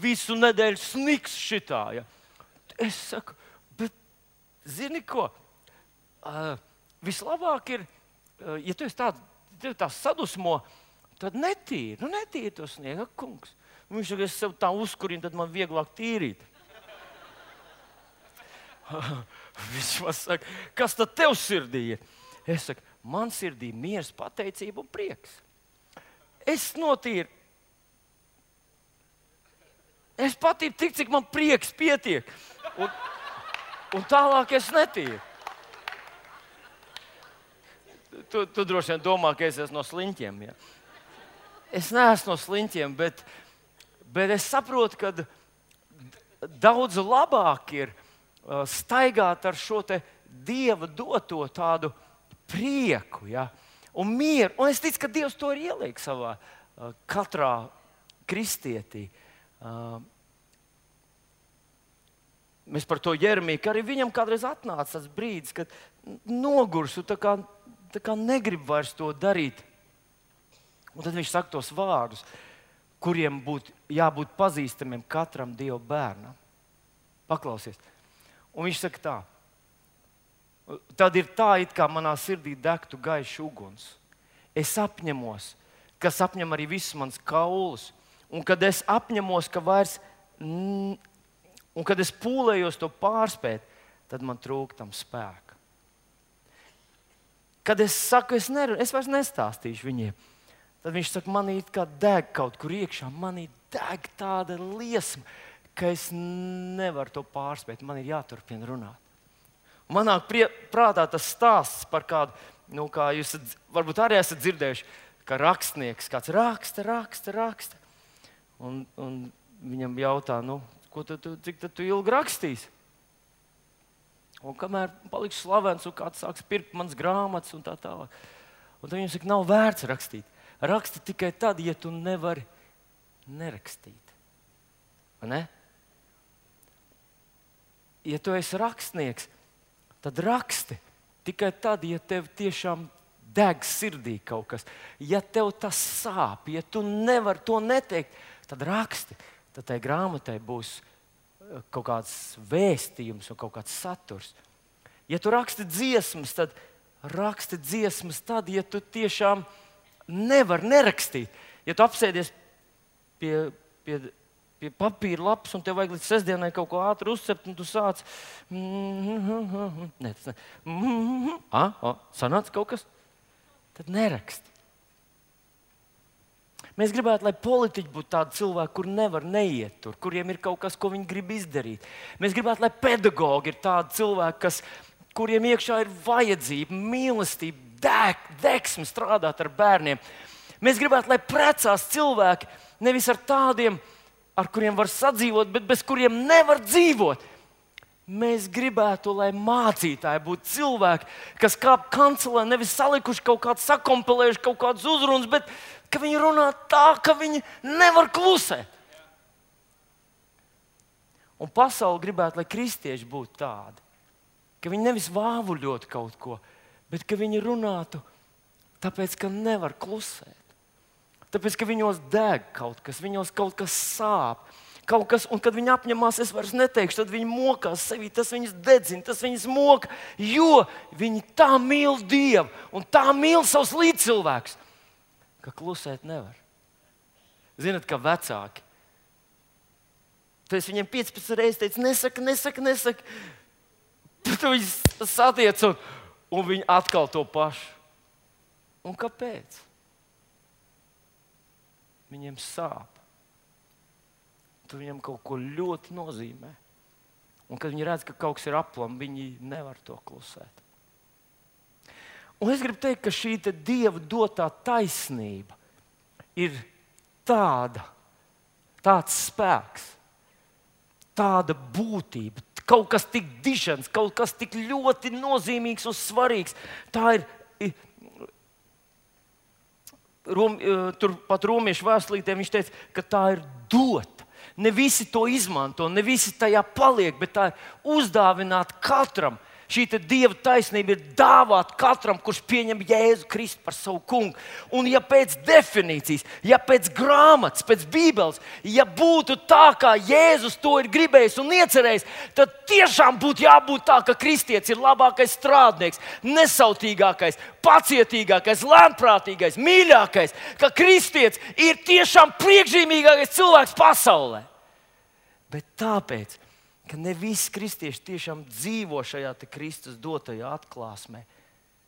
visu nedēļu sniks šitā. Ja. Es saku, bet zini ko? Vislabāk ir, ja tu esi tā sadusmo, tad netīri to sniegu, kungs. Viņš saka, es sev tā uzkurinu, tad man vieglāk tīrīt. Viņš man saka, kas tad tev sirdī ir? Es saku, man sirdī miers, pateicība un prieks. Es notīru. Es patīru tik, cik man prieks pietiek. Un tālāk es netīru. Tu droši vien domā, ka es esmu no sliņķiem. Ja? Es neesmu no sliņķiem, bet es saprotu, ka daudz labāk ir staigāt ar šo te Dieva doto tādu prieku, ja? Un mieru. Un es ticu, ka Dievs to ir ieliek savā katrā kristietī. Mēs par to Jeremiju, ka arī viņam kādreiz atnāca tas brīdis, kad nogurs un tā kā negrib vairs to darīt. Un tad viņš saka tos vārdus, kuriem būtu jābūt pazīstamiem katram Dieva bērnam. Paklausies. Un viņš saka tā. Tad ir tā, it kā manā sirdī degtu gaišs uguns. Es apņemos, kas apņem arī visus mans kaulus. Un kad es apņemos, ka vairs... Un kad es pūlējos to pārspēt, tad man trūk tam spēka. Kad es saku, es vairs nestāstīšu viņiem, tad viņš saka, manī kā deg kaut kur iekšā, manī deg tāda liesma, ka es nevaru to pārspēt, man ir jāturpina runāt. Manā prātā tas stāsts par kādu, kā jūs varbūt arī esat dzirdējuši, ka rakstnieks kāds raksta. Un viņam jautā, cik tu ilgi rakstīsi? Un kamēr paliks slavens, un kāds sāks pirkt manas grāmatas un tā tālāk. Un tad viņam saka, nav vērts rakstīt. Raksti tikai tad, ja tu nevari nerakstīt. Vai ne? Ja tu esi rakstnieks, tad raksti tikai tad, ja tev tiešām deg sirdī kaut kas. Ja tev tas sāp, ja tu nevari to neteikt, tad raksti. Tad tai grāmatai būs kaut kāds vēstījums un kaut kāds saturs. Ja tu raksti dziesmas, tad raksti dziesmas tad, ja tu tiešām nevari nerakstīt. Ja tu apsēdies pie papīra lapas un tev vajag līdz sestdienai kaut ko ātri uzcept, un tu sāc... Sanāca kaut kas? Tad neraksti. Mēs gribētu, lai politiķi būtu tādi cilvēki, kur nevar neiet tur, kuriem ir kaut kas, ko viņi grib izdarīt. Mēs gribētu, lai pedagogi ir tādi cilvēki, kuriem iekšā ir vajadzība, mīlestība, degsme strādāt ar bērniem. Mēs gribētu, lai precās cilvēki nevis ar tādiem, ar kuriem var sadzīvot, bet bez kuriem nevar dzīvot. Mēs gribētu, lai mācītāji būtu cilvēki, kas kāp kancelē, nevis salikuši kaut kādu, sakompilējuši kaut kādus uzrunas, bet ka viņi runā tā, ka viņi nevar klusēt. Un pasaule gribētu, lai kristieši būtu tādi, ka viņi nevis vāvuļot kaut ko, bet ka viņi runātu tāpēc, ka nevar klusēt. Tāpēc, ka viņos deg kaut kas, viņos kaut kas sāp. Kaut kas, un kad viņi apņemās, es vairs neteikšu, tad viņi mokās sevī, tas viņus dedzina, tas viņus moka, jo viņi tā mīl Dievu un tā mīl savus līdzcilvēkus, ka klusēt nevar. Zinat, kā vecāki. Tad es viņiem 15 reizes teicu, nesaka. Tad viņi satiec un viņi atkal to pašu. Un kāpēc? Viņiem sāp. Tad viņam kaut ko ļoti nozīmē. Un kad viņi redz, ka kaut kas ir aplam, viņi nevar to klusēt. Un es gribu teikt, ka šī Dieva dotā taisnība ir tāds spēks, tāda būtība, kaut kas tik dižens, kaut kas tik ļoti nozīmīgs un svarīgs. Tā ir. Turpat Romiešu vēstulītē viņš teica, ka tā ir dota. Ne visi to izmanto, ne visi tajā paliek, bet tā ir uzdāvināta katram. Šī Dieva taisnība ir dāvāta katram, kurš pieņem Jēzu Kristu par savu kungu. Un ja pēc definīcijas, ja pēc grāmatas, pēc Bībeles, ja būtu tā, kā Jēzus to ir gribējis un iecerējis, tad tiešām būtu jābūt tā, ka kristietis ir labākais strādnieks, nesautīgākais, pacietīgākais, lēnprātīgais, mīļākais, ka kristietis ir tiešām priekšzīmīgākais cilvēks pasaulē. Bet tāpēc, ka ne visi kristieši tiešām dzīvo šajā Kristus dotajā atklāsmē,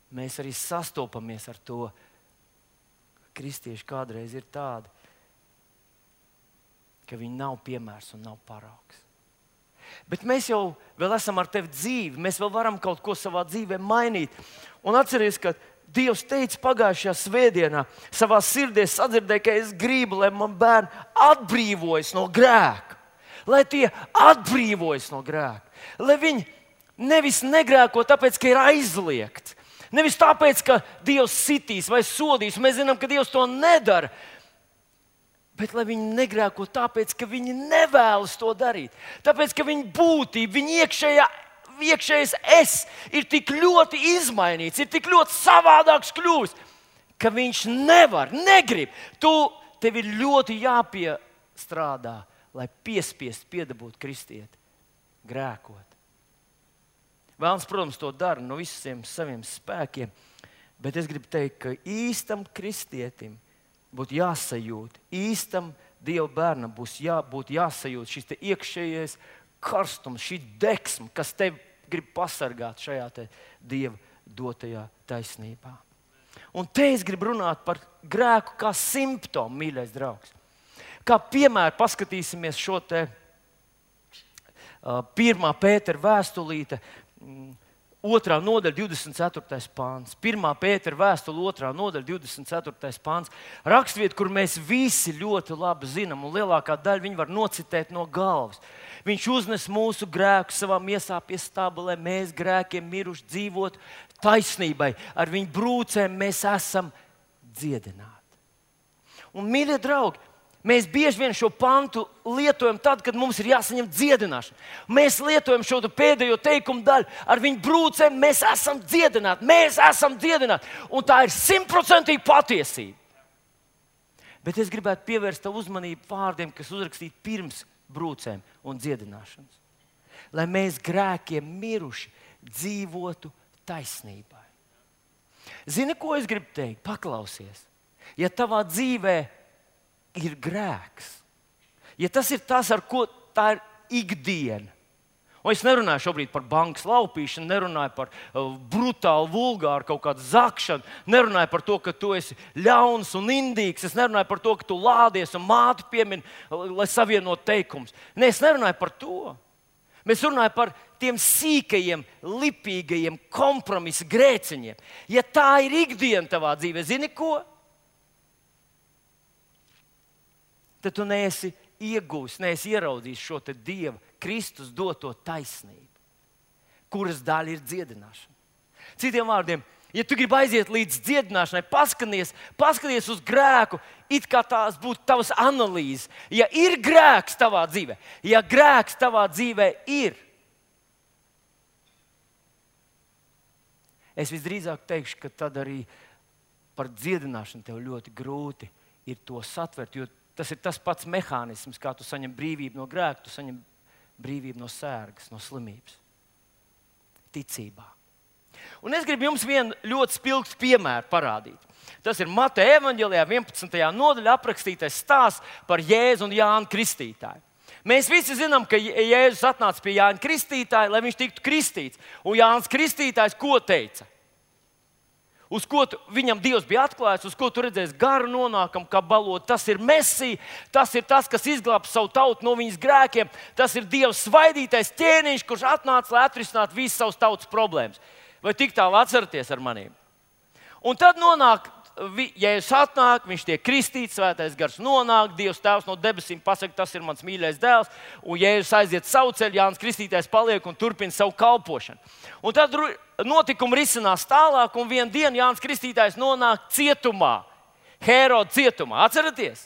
mēs arī sastopamies ar to, ka kristieši kādreiz ir tādi, ka viņi nav piemērs un nav paraugs. Bet mēs jau vēl esam ar tevi dzīvi, mēs vēl varam kaut ko savā dzīvē mainīt. Un atceries, ka Dievs teica pagājušajā svētdienā, savā sirdī sadzirdēja, ka es gribu, lai man bērni atbrīvojas no grēka. Lai tie atbrīvojas no grēka. Lai viņi nevis negrēko tāpēc, ka ir aizliegts. Nevis tāpēc, ka Dievs sitīs vai sodīs. Mēs zinām, ka Dievs to nedara. Bet lai viņi negrēko tāpēc, ka viņi nevēlas to darīt. Tāpēc, ka viņa būtība, viņa iekšējais es ir tik ļoti izmainīts, ir tik ļoti savādāks kļūst, ka viņš negrib. Tev ir ļoti jāpiestrādā, lai piespiestu piedabūt kristieti grēkot. Vēlns, protams, to dara no visiem saviem spēkiem, bet es gribu teikt, ka īstam kristietim būtu jāsajūt, īstam Dieva bērnam būtu jāsajūt šis iekšējais karstums, šī degsma, kas tevi grib pasargāt šajā Dieva dotajā taisnībā. Un te es gribu runāt par grēku kā simptomu, mīļais draugs. Kā piemēru paskatīsimies šo 1. Pētera vēstulīte, 2. nodaļa, 24. pāns. 1. Pētera vēstule, 2. nodaļa, 24. pāns. Rakstvieta, kur mēs visi ļoti labi zinām, un lielākā daļa viņi var nocitēt no galvas. Viņš uznes mūsu grēkus savā miesā pie staba, lai mēs grēkiem miruši dzīvotu taisnībai. Ar viņu brūcēm mēs esam dziedināti. Un, mīļie draugi, mēs bieži vien šo pantu lietojam tad, kad mums ir jāsaņem dziedināšana. Mēs lietojam šo pēdējo teikumu daļu. Ar viņu brūcēm mēs esam dziedināti. Mēs esam dziedināti. Un tā ir 100% patiesība. Bet es gribētu pievērst tavu uzmanību vārdiem, kas uzrakstīti pirms brūcēm un dziedināšanas. Lai mēs grēkiem miruši dzīvotu taisnībai. Zini, ko es gribu teikt? Paklausies. Ja tavā dzīvē ir grēks, ja tas ir tas, ar ko tā ir ikdiena, un es nerunāju šobrīd par bankas laupīšanu, nerunāju par brutālu, vulgāru kaut kādu zakšanu, nerunāju par to, ka tu esi ļauns un indīgs, es nerunāju par to, ka tu lādies un māti piemini, lai savienot teikumus. Nē, es nerunāju par to. Mēs runājam par tiem sīkajiem, lipīgajiem kompromisa grēciņiem. Ja tā ir ikdiena tavā dzīvē, zini ko? Tad tu neesi iegūs, neesi ieraudzījis šo Dieva Kristus doto taisnību, kuras daļa ir dziedināšana. Citiem vārdiem, ja tu gribi aiziet līdz dziedināšanai, paskaties uz grēku, it kā tās būtu tavas analīzes. Ja ir grēks tavā dzīvē, ja grēks tavā dzīvē ir, es visdrīzāk teikšu, ka tad arī par dziedināšanu tev ļoti grūti ir to satvert, jo tas ir tas pats mehānisms, kā tu saņem brīvību no grēka, tu saņem brīvību no sērgas, no slimības. Ticībā. Un es gribu jums vienu ļoti spilgtu piemēru parādīt. Tas ir Mateja evaņģēlijā 11. nodaļā aprakstītais stāsts par Jēzu un Jānu Kristītāju. Mēs visi zinām, ka Jēzus atnāca pie Jāņa Kristītāja, lai viņš tiktu kristīts. Un Jānis Kristītājs ko teica? Uz ko viņam Dievs bija atklājis, uz ko tu redzēsi garu nonākam, kā balot. Tas ir Mesija, tas ir tas, kas izglābs savu tautu no viņas grēkiem. Tas ir Dieva svaidītais ķēniņš, kurš atnāca, lai atrisinātu visas savas tautas problēmas. Vai tik tālu atceraties ar maniem? Un tad nonāk, Jēzus atnāk, viņš tiek kristīts, svētais gars nonāk, Dievs tēvs no debesīm pasaka, tas ir mans mīļais dēls, un Jēzus aiziet savu ceļu, Jānis Kristītājs paliek un turpina savu kalpošanu. Un tad notikumi risinās tālāk, un vienā dienā Jānis Kristītājs nonāk cietumā, Heroda cietumā. Atceraties?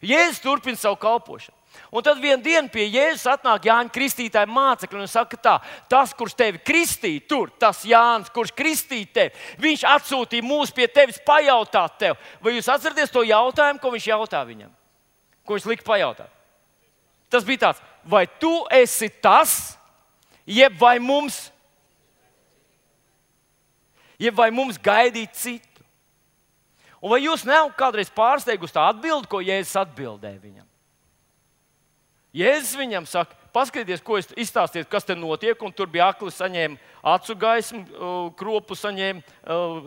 Jēzus turpina savu kalpošanu. Un tad vienā dienā pie Jēzus atnāk Jāņa Kristītāja mācekļi un saka tā, tas, kurš tevi kristīja tur, tas Jānis, kurš kristīja tevi, viņš atsūtīja mūs pie tevis pajautāt tev. Vai jūs atceraties to jautājumu, ko viņš jautā viņam? Ko viņš lika pajautāt? Tas bija tāds, vai tu esi tas, jeb vai mums gaidīt citu? Un vai jūs nav kādreiz pārsteigusi tā atbildi, ko Jēzus atbildēja viņam? Jēzus viņam saka, paskatieties, ko izstāstiet, kas te notiek, un tur bija akli, saņēma acu gaismu, kropu saņēma,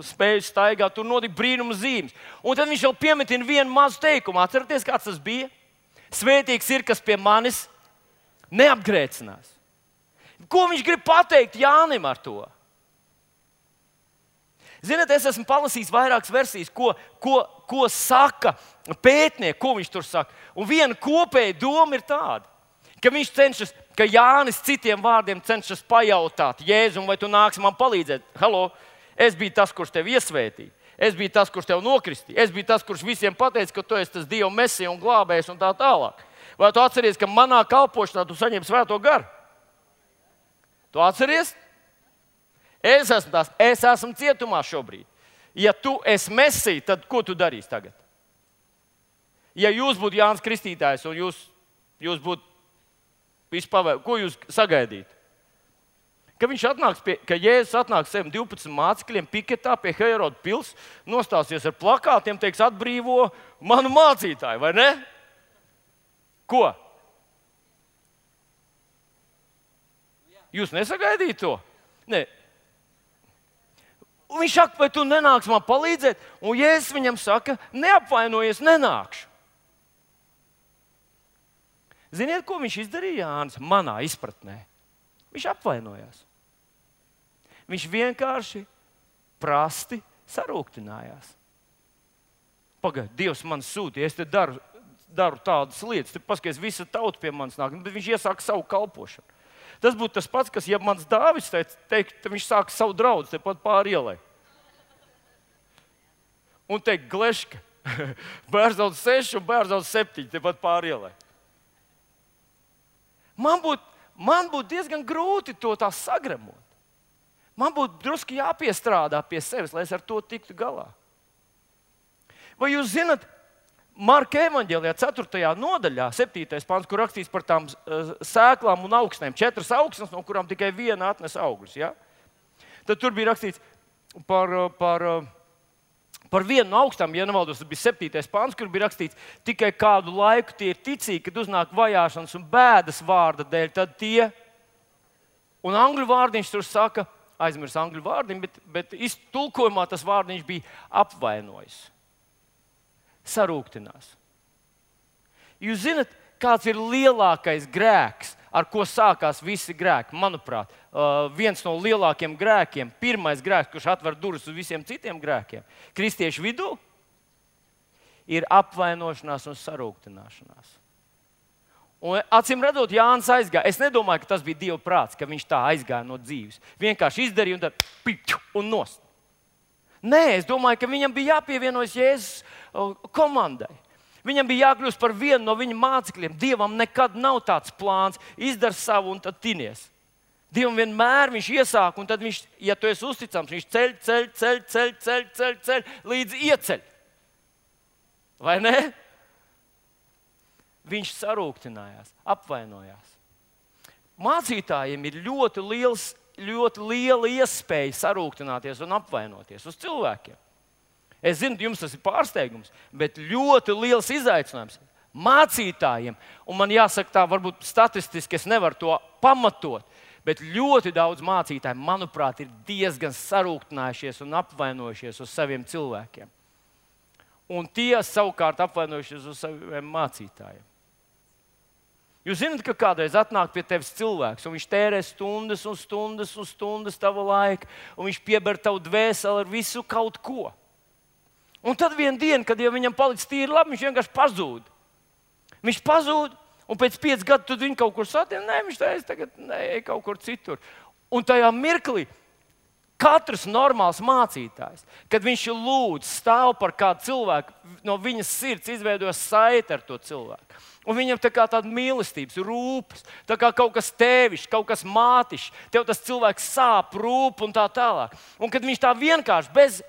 spēju staigāt, tur notika brīnuma zīmes. Un tad viņš jau piemetina vienu mazu teikumu. Atceraties, kāds tas bija? Svētīgs ir, kas pie manis neapgrēcinās. Ko viņš grib pateikt Jānim ar to? Ziniet, es esmu palasījis vairākas versijas, ko saka pētnieki, ko viņš tur saka. Un viena kopēja doma ir tāda, ka viņš cenšas, ka Jānis citiem vārdiem cenšas pajautāt Jēzum, vai tu nāksi man palīdzēt. Halo, es biju tas, kurš tevi iesvētīja. Es biju tas, kurš tevi nokristīja. Es biju tas, kurš visiem pateica, ka tu esi tas Dieva mesija un glābējs un tā tālāk. Vai tu atceries, ka manā kalpošanā tu saņem svēto garu? Tu atceries? Es esmu cietumā šobrīd. Ja tu esi mesija, tad ko tu darīsi tagad? Ja jūs būtu Jānis Kristītājs un jūs būtu vispār, ko jūs sagaidītu? Ka Jēzus atnāks saviem 12 mācekļiem piketā pie Heroda pils, nostāsies ar plakātiem, teiks, atbrīvo manu mācītāju, vai ne? Ko? Jūs nesagaidījāt to? Nē. Un viņš saka, vai tu nenāksi man palīdzēt? Un Jēzus viņam saka, neapvainojies, nenākšu. Ziniet, ko viņš izdarīja, Jānis? Manā izpratnē. Viņš apvainojās. Viņš vienkārši prasti sarūktinājās. Pagaid, Dievs man sūtīja, es te daru tādas lietas, te paskaties, visa tauta pie manis nāk, bet viņš iesāka savu kalpošanu. Tas būtu tas pats, kas, ja mans Dāvids teikt, viņš sāka savu draugu tepat pāri ielai. Un teikt, Gleška, bērzaudz 6 un bērzaudz 7, tepat pāri ielai. Man būtu diezgan grūti to tā sagremot. Man būtu drusku jāpiestrādā pie sevis, lai es ar to tiktu galā. Vai jūs zinat, Marka evaņģēlijā 4. nodaļā, 7. pants, kur rakstīts par tām sēklām un augsnēm. 4 augsnes, no kurām tikai viena atnes augļus. Ja? Tad tur bija rakstīts par vienu no augstām, ja nemaldos, tas bija 7. pants, kur bija rakstīts, tikai kādu laiku tie ir ticīgi, kad uznāk vajāšanas un bēdas vārda dēļ, tad tie, un angļu vārdiņš tur saka, aizmirs angļu vārdiņu, bet tulkojumā tas vārdiņš bija apvainojis. Sarūktinās. Jūs zināt, kāds ir lielākais grēks, ar ko sākās visi grēki? Manuprāt, viens no lielākiem grēkiem, pirmais grēks, kurš atver durvis uz visiem citiem grēkiem, kristiešu vidū, ir apvainošanās un sarūktināšanās. Un, acīm redzot, Jānis aizgāja. Es nedomāju, ka tas bija Dieva prāts, ka viņš tā aizgāja no dzīves. Vienkārši izdarīja un tad un nost. Nē, es domāju, ka viņam bija jāpievienojas Jēzus komandai. Viņam bija jākļūst par vienu no viņa mācekļiem. Dievam nekad nav tāds plāns, izdara savu un tad tinies. Dievam vienmēr viņš iesāk, un tad viņš, ja tu esi uzticams, viņš ceļ, līdz ieceļ. Vai ne? Viņš sarūktinājās, apvainojās. Mācītājiem ir ļoti liela iespēja sarūktināties un apvainoties uz cilvēkiem. Es zinu, jums tas ir pārsteigums, bet ļoti liels izaicinājums mācītājiem. Un man jāsaka tā, varbūt statistiski es nevaru to pamatot, bet ļoti daudz mācītāju, manuprāt, ir diezgan sarūktinājušies un apvainojušies uz saviem cilvēkiem. Un tie savukārt apvainojušies uz saviem mācītājiem. Jūs zināt, ka kādreiz atnāk pie tevis cilvēks, un viņš tērē stundas un stundas un stundas tava laika, un viņš pieber tavu dvēseli ar visu kaut ko. Un tad vienā dienā, kad jau viņam palicis tīri labi, viņš vienkārši pazūd. Viņš pazūd, un pēc 5 gadiem tad viņš kaut kur satiek. Nē, viņš tagad ej kaut kur citur. Un tajā mirklī katrs normāls mācītājs, kad viņš lūdz, stāv par kādu cilvēku, no viņas sirds izveidojas saite ar to cilvēku. Un viņam tā kā tāda mīlestības, rūpes, tā kā kaut kas tēvišķs, kaut kas mātišs, tev tas cilvēks sāp, rūp un tā tālāk. Un kad viņš tā vienkārši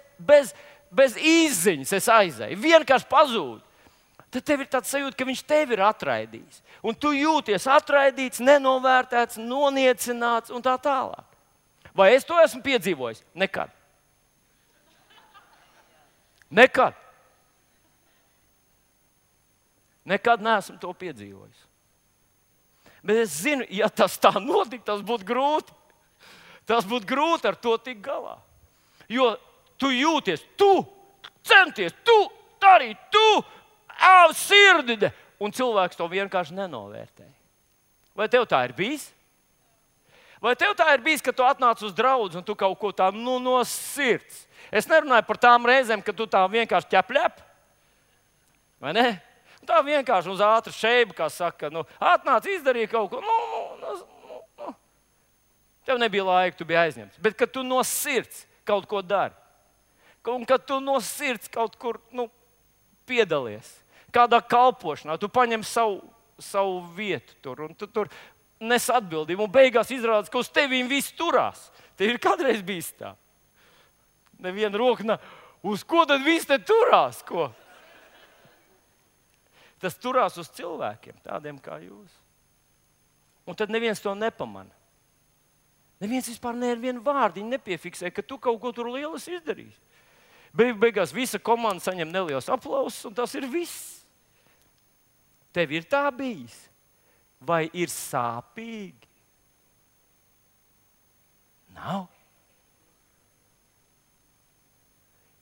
bez izziņas aizēja, vienkārši pazūd, tad tev ir tāds sajūta, ka viņš tevi ir atraidījis. Un tu jūties atraidīts, nenovērtēts, noniecināts un tā tālāk. Vai es to esmu piedzīvojis? Nekad. Nekad. Nekad neesmu to piedzīvojis. Bet es zinu, ja tas tā notiktu, tas būtu grūti. Tas būtu grūti ar to tikt galā. Jo tu jūties, tu centies, tu darīji, tu sirdide, un cilvēks to vienkārši nenovērtēja. Vai tev tā ir bijis? Vai tev tā ir bijis, ka tu atnāc uz draudzi un tu kaut ko tā no sirds? Es nerunāju par tām reizēm, kad tu tā vienkārši ķepļep. Vai ne? Tā vienkārši uz ātru šeibu, kā saka, atnāc, izdarīja kaut ko. Tev nebija laika, tu biji aizņemts. Bet kad tu no sirds kaut ko dari, un kad tu no sirds kaut kur piedalies, kādā kalpošanā, tu paņem savu vietu tur, un tu tur nes atbildību, un beigās izrādās, ka uz tevīm viss turās. Tev ir kādreiz bijis tā. Neviena roka, uz ko tad viss te turās? Ko? Tas turās uz cilvēkiem, tādiem kā jūs. Un tad neviens to nepamana. Neviens vispār nevienu vārdiņu nepiefiksē, ka tu kaut ko tur lielas izdarīsi. Beigās visa komanda saņem neliels aplausus, un tas ir viss. Tev ir tā bijis? Vai ir sāpīgi? Nav.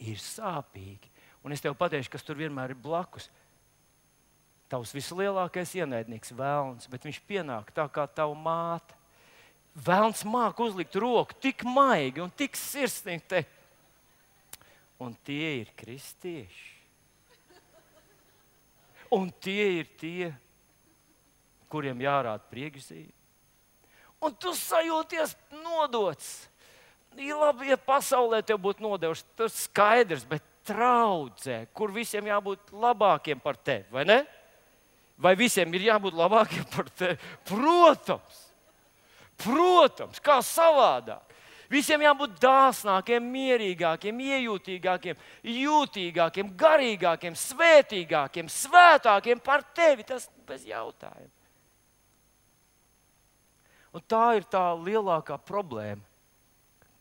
Ir sāpīgi. Un es tev pateikšu, kas tur vienmēr ir blakus. Tavs vislielākais ienaidnieks velns, bet viņš pienāk tā kā tava māte. Velns māk uzlikt roku tik maigi un tik sirsnīgi teikt. Un tie ir kristieši. Un tie ir tie, kuriem jārāda priekšzīme. Un tu sajūties nodots. Ir labi, ja pasaulē tev būtu nodevuši, tas skaidrs, bet traudzē, kur visiem jābūt labākiem par tevi, vai ne? Vai visiem ir jābūt labākiem par tevi? Protams! Protams, kā savādāk. Visiem jābūt dāsnākiem, mierīgākiem, iejūtīgākiem, jūtīgākiem, garīgākiem, svētīgākiem, svētākiem par tevi. Tas bez jautājuma. Un tā ir tā lielākā problēma,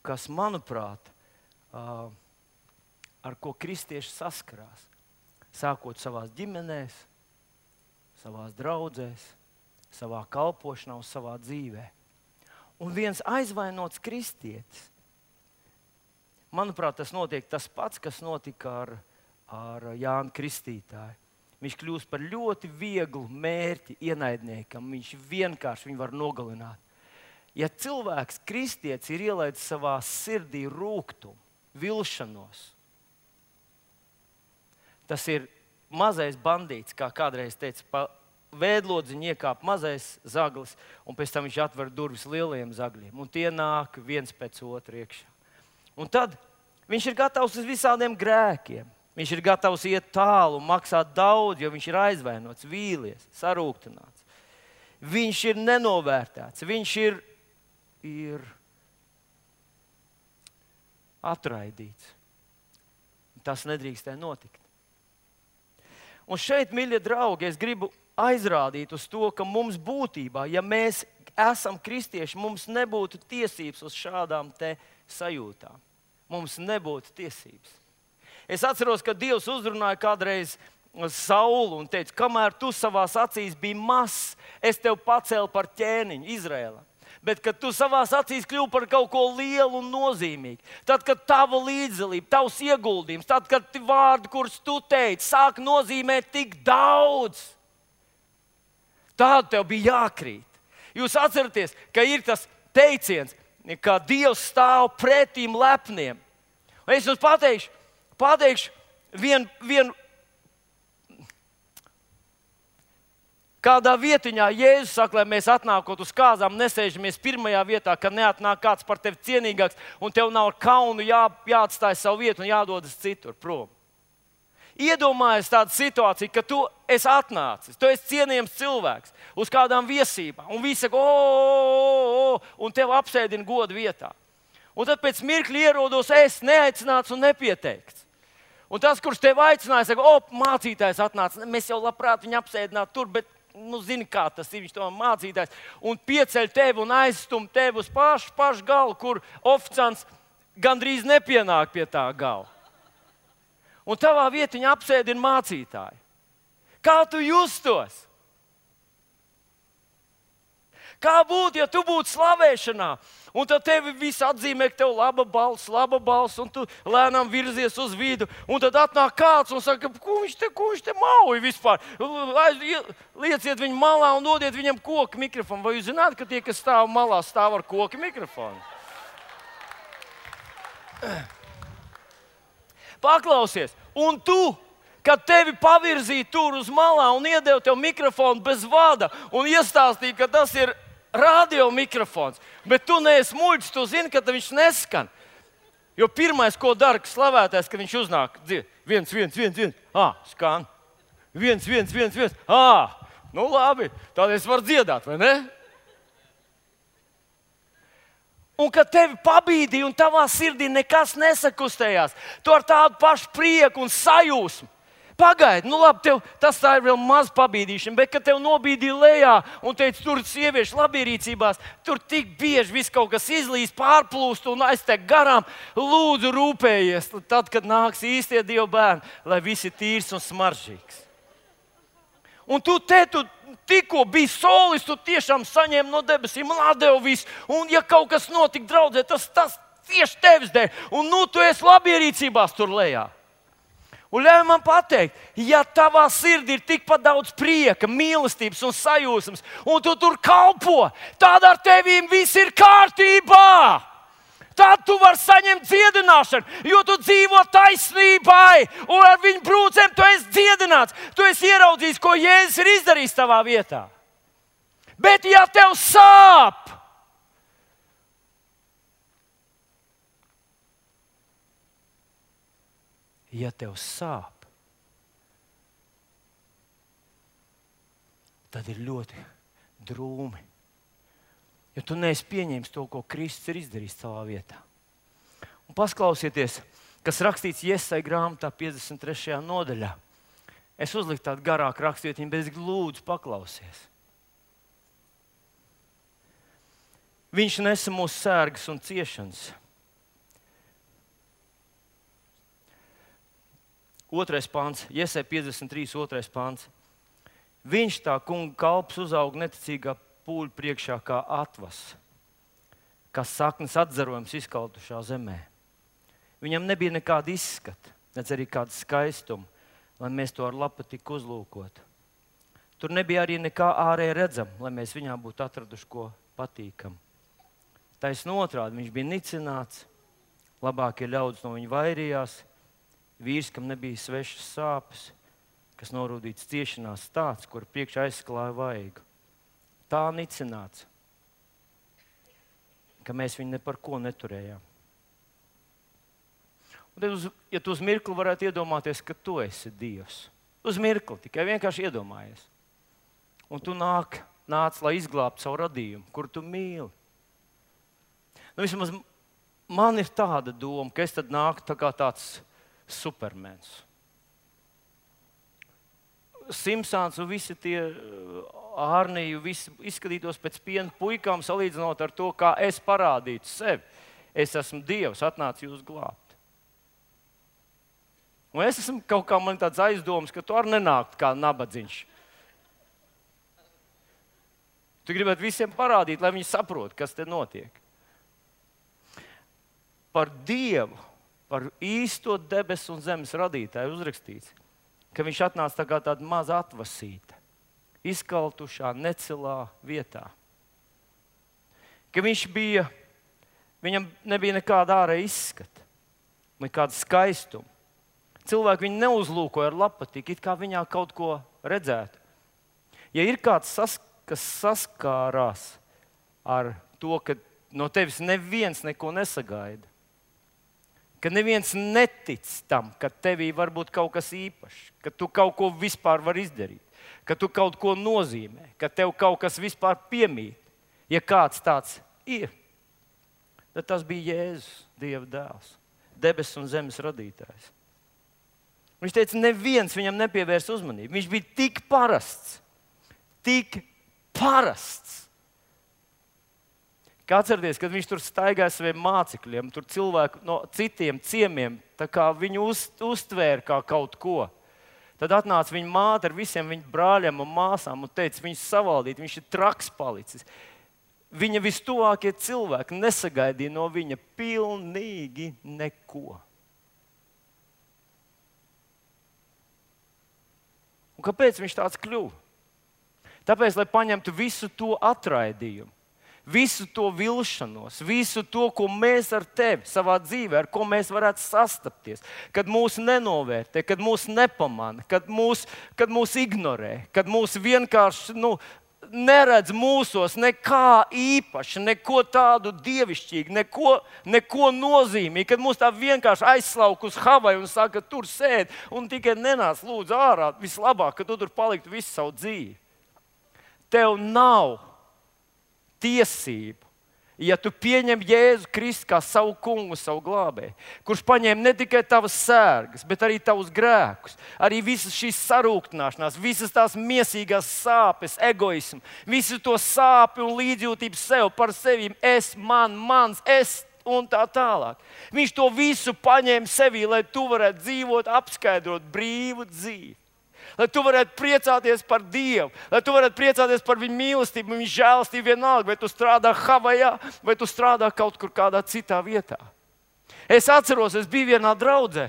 kas, manuprāt, ar ko kristieši saskarās. Sākot savās ģimenēs, savās draudzēs, savā kalpošanā un savā dzīvē. Un viens aizvainots kristietis, manuprāt, tas notiek tas pats, kas notika ar Jānu Kristītāju. Viņš kļūst par ļoti vieglu mērķi ienaidniekam. Viņš vienkārši viņu var nogalināt. Ja cilvēks, kristietis, ir ielaidis savā sirdī rūgtumu, vilšanos, tas ir mazais bandīts, kā kādreiz teica, pa vēdlodziņu iekāp mazais zaglis, un pēc tam viņš atver durvis lielajiem zagļiem. Un tie nāk viens pēc otra iekšā. Un tad viņš ir gatavs uz visādiem grēkiem. Viņš ir gatavs iet tālu un maksāt daudz, jo viņš ir aizvainots, vīlies, sarūktināts. Viņš ir nenovērtēts, viņš ir atraidīts. Tas nedrīkstēja notikt. Un šeit, mīļie draugi, es gribu aizrādīt uz to, ka mums būtībā, ja mēs esam kristieši, mums nebūtu tiesības uz šādām te sajūtām. Mums nebūtu tiesības. Es atceros, ka Dievs uzrunāja kādreiz Saulu un teica, kamēr tu savās acīs biji mazs, es tevi pacēlu par ķēniņu Izraēlā. Bet, kad tu savās acīs kļuvi par kaut ko lielu un nozīmīgu, tad, kad tava līdzdalība, tavs ieguldījums, tad, kad vārdi, kurus tu teici, sāk nozīmēt tik daudz, tad tev bija jākrīt. Jūs atceraties, ka ir tas teiciens, ka Dievs stāv pretīm lepniem. Un es jums pateikšu vienu. Kādā vietiņā Jēzus saka, lai mēs atnākot uz kāzām, nesēžamies pirmajā vietā, ka neatnāk kāds par tevi cienīgāks, un tev nav ar kaunu jāatstāj savu vietu un jādodas citur prom. Iedomājies tādu situāciju, ka tu esi atnācis, tu esi cienījams cilvēks uz kādām viesībām, un visi saka, un tev apsēdina godu vietā. Un tad pēc mirkļa ierodos es neaicināts un nepieteikts. Un tas, kurš tevi aicināja, saka, mācītājs atnāca, mēs jau labprāt viņu apsēdinātu tur, bet zini, kā tas ir, viņš to mācītājs, un pieceļ tevi un aizstum tevi uz pašu galu, kur oficiants gandrīz nepienāk pie tā gala. Un tavā vietiņā apsēdina mācītāju. Kā tu justos? Kā būtu, ja tu būtu slavēšanā, un tad tevi visi atzīmē, ka tev laba balss, un tu lēnām virzies uz vidu, un tad atnāk kāds un saka, ko viņš te mauj vispār? Lieciet viņu malā un dodiet viņam koku mikrofonu. Vai jūs zināt, ka tie, kas stāv malā, stāv ar koku mikrofonu? Paklausies, un tu, kad tevi pavirzīja tur uz malā un iedeva tev mikrofonu bez vada un iestāstīja, ka tas ir radio mikrofons, bet tu neesi muļķis, tu zini, ka viņš neskan. Jo pirmais, ko dara slavētājs, kad viņš uznāk, viens, skan. Viens. Nu labi, tad es varu dziedāt, vai ne? Un kad tevi pabīdīja un tavā sirdī nekas nesakustējās, tu ar tādu pašu prieku un sajūsmu. Pagaidi, nu labi, tas tā ir vēl maz pabīdīšana, bet kad tev nobīdīja lejā un teica, tur sieviešu labierīcībās, tur tik bieži viss kaut kas izlīst, pārplūst un aiztek garām, lūdzu rūpējies, tad, kad nāks īstie Dieva bērni, lai viss ir tīrs un smaržīgs. Un tu tikko biji solis, tu tiešām saņēmi no debesīm un atdevi visu, un ja kaut kas notika draudzē, tas tieši tevis dēļ, un nu tu esi labierīcībās tur lejā. Un ļauj man pateikt, ja tavā sirdī ir tikpat daudz prieka, mīlestības un sajūsmas, un tu tur kalpo, tad ar tevīm viss ir kārtībā. Tad tu vari saņemt dziedināšanu, jo tu dzīvo taisnībai, un ar viņu brūcēm tu esi dziedināts. Tu esi ieraudzījis, ko Jēzus ir izdarījis tavā vietā. Bet ja tev sāp, tad ir ļoti drūmi. Jo tu neesi pieņēmis to, ko Kristus ir izdarījis savā vietā. Un paklausieties, kas rakstīts Jesaja grāmatā 53. nodaļā. Es uzliku tādu garāku rakstvietiņu, bet es lūdzu paklausies. Viņš nesa mūsu sērgas un ciešanas. 2. pāns, Jesaja 53. 2. pāns. Viņš tā kunga kalps uzauga neticīgā pūļu priekšā kā atvas, kā saknes atzarojums izkaltušā zemē. Viņam nebija nekāda izskata, nedz arī kāda skaistuma, lai mēs to ar lapatiku uzlūkotu. Tur nebija arī nekā ārēji redzama, lai mēs viņā būtu atraduši ko patīkamu. Taisn otrādi, viņš bija nicināts, labākie ļaudis no viņa vairījās, vīrs, kam nebija svešas sāpes, kas norūdīts ciešanās tāds, kur priekšā aizsklāja vaigu. Tā nicināts, ka mēs viņu ne par ko neturējām. Un tad, ja tu uz mirkli varētu iedomāties, ka tu esi Dievs. Uz mirkli, tikai vienkārši iedomājies. Un tu nāc, lai izglābtu savu radījumu, kuru tu mīli. Nu, vismaz man ir tāda doma, ka es tad nāku tā kā tāds supermens. Simpsons un visi tie Ārniju, visi izskatītos pēc piena puikām, salīdzinot ar to, kā es parādītu sevi. Es esmu Dievs, atnācu jūs glābt. Un es esmu kaut kā man tāds aizdoms, ka tu arī nenākt kā nabadziņš. Tu gribētu visiem parādīt, lai viņi saprot, kas te notiek. Par Dievu, par īsto debesu un zemes radītāju uzrakstīts, ka viņš atnāca tā kā tāda maza atvasīta, izkaltušā, necilā vietā. Ka viņam nebija nekāda ārēja izskata, nekāda skaistuma. Cilvēki viņu neuzlūkoja ar labpatīku, it kā viņā kaut ko redzētu. Ja ir kāds, kas saskārās ar to, ka no tevis neviens neko nesagaida, ka neviens netic tam, ka tevī var būt kaut kas īpašs, ka tu kaut ko vispār vari izdarīt, ka tu kaut ko nozīmē, ka tev kaut kas vispār piemīt. Ja kāds tāds ir, tad tas bija Jēzus, Dieva dēls, debesu un zemes radītājs. Viņš teica, neviens viņam nepievērs uzmanību. Viņš bija tik parasts, Kā atcerieties, kad viņš tur staigāja saviem mācekļiem, tur cilvēku no citiem ciemiem, tā kā viņu uztvēra kā kaut ko. Tad atnāca viņa māte ar visiem viņa brāļiem un māsām un teica, viņus savaldīt, viņš ir traks palicis. Viņa vistuvākie cilvēki nesagaidīja no viņa pilnīgi neko. Un kāpēc viņš tāds kļuva? Tāpēc, lai paņemtu visu to atraidījumu, visu to vilšanos, visu to, ko mēs ar tevi savā dzīvē, ar ko mēs varētu sastapties, kad mūs nenovērtē, kad mūs nepamana, kad mūs ignorē, kad mūs vienkārši neredz mūsos nekā īpaša, neko tādu dievišķīgu, neko nozīmīgu, kad mūs tā vienkārši aizslauk uz Havaju un saka, tur sēd un tikai nenāc lūdzu ārā, vislabāk, ka tu tur paliktu visu savu dzīvi. Tev nav tiesību, ja tu pieņem Jēzu Kristu kā savu kungu, savu glābēju, kurš paņēma ne tikai tavas sērgas, bet arī tavus grēkus, arī visas šīs sarūktināšanās, visas tās miesīgās sāpes, egoismu, visu to sāpi un līdzjūtību sev par sevi, mans, un tā tālāk. Viņš to visu paņēma sevī, lai tu varētu dzīvot, apskaidrot brīvu dzīvi. Lai tu varētu priecāties par Dievu, lai tu varētu priecāties par viņa mīlestību, viņa žēlastību vienalga, vai tu strādā Havajā, vai tu strādā kaut kur kādā citā vietā. Es atceros, es biju vienā draudzē,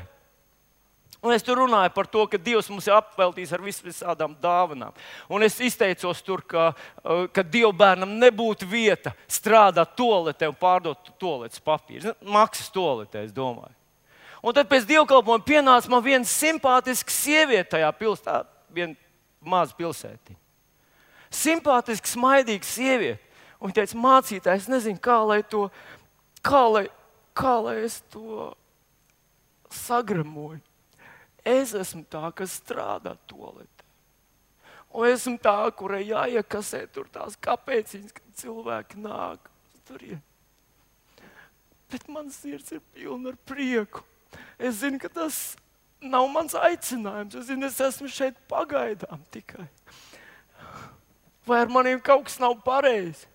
un es tur runāju par to, ka Dievs mums ir apveltījis ar visādām dāvanām. Un es izteicos tur, ka Dieva bērnam nebūtu vieta strādāt toaletē un pārdot toaletes papīru. Maksas toaletē, es domāju. Un tad pēc dievkalpojuma pienāca man viena simpātiska sieviete tajā pilsētā, viena maza pilsētiņa. Simpātiska, smaidīga sieviete. Un viņa teica, mācītāj, es nezinu, kā lai es to sagremoju. Es esmu tā, kas strādā toaletē. Un esmu tā, kurai jāiekasē tur tās kāpēciņas, kad cilvēki nāk uz turien. Bet mans sirds ir pilna ar prieku. Es zinu, ka tas nav mans aicinājums. Es zinu, es esmu šeit pagaidām tikai. Vai ar maniem kaut kas nav pareizi?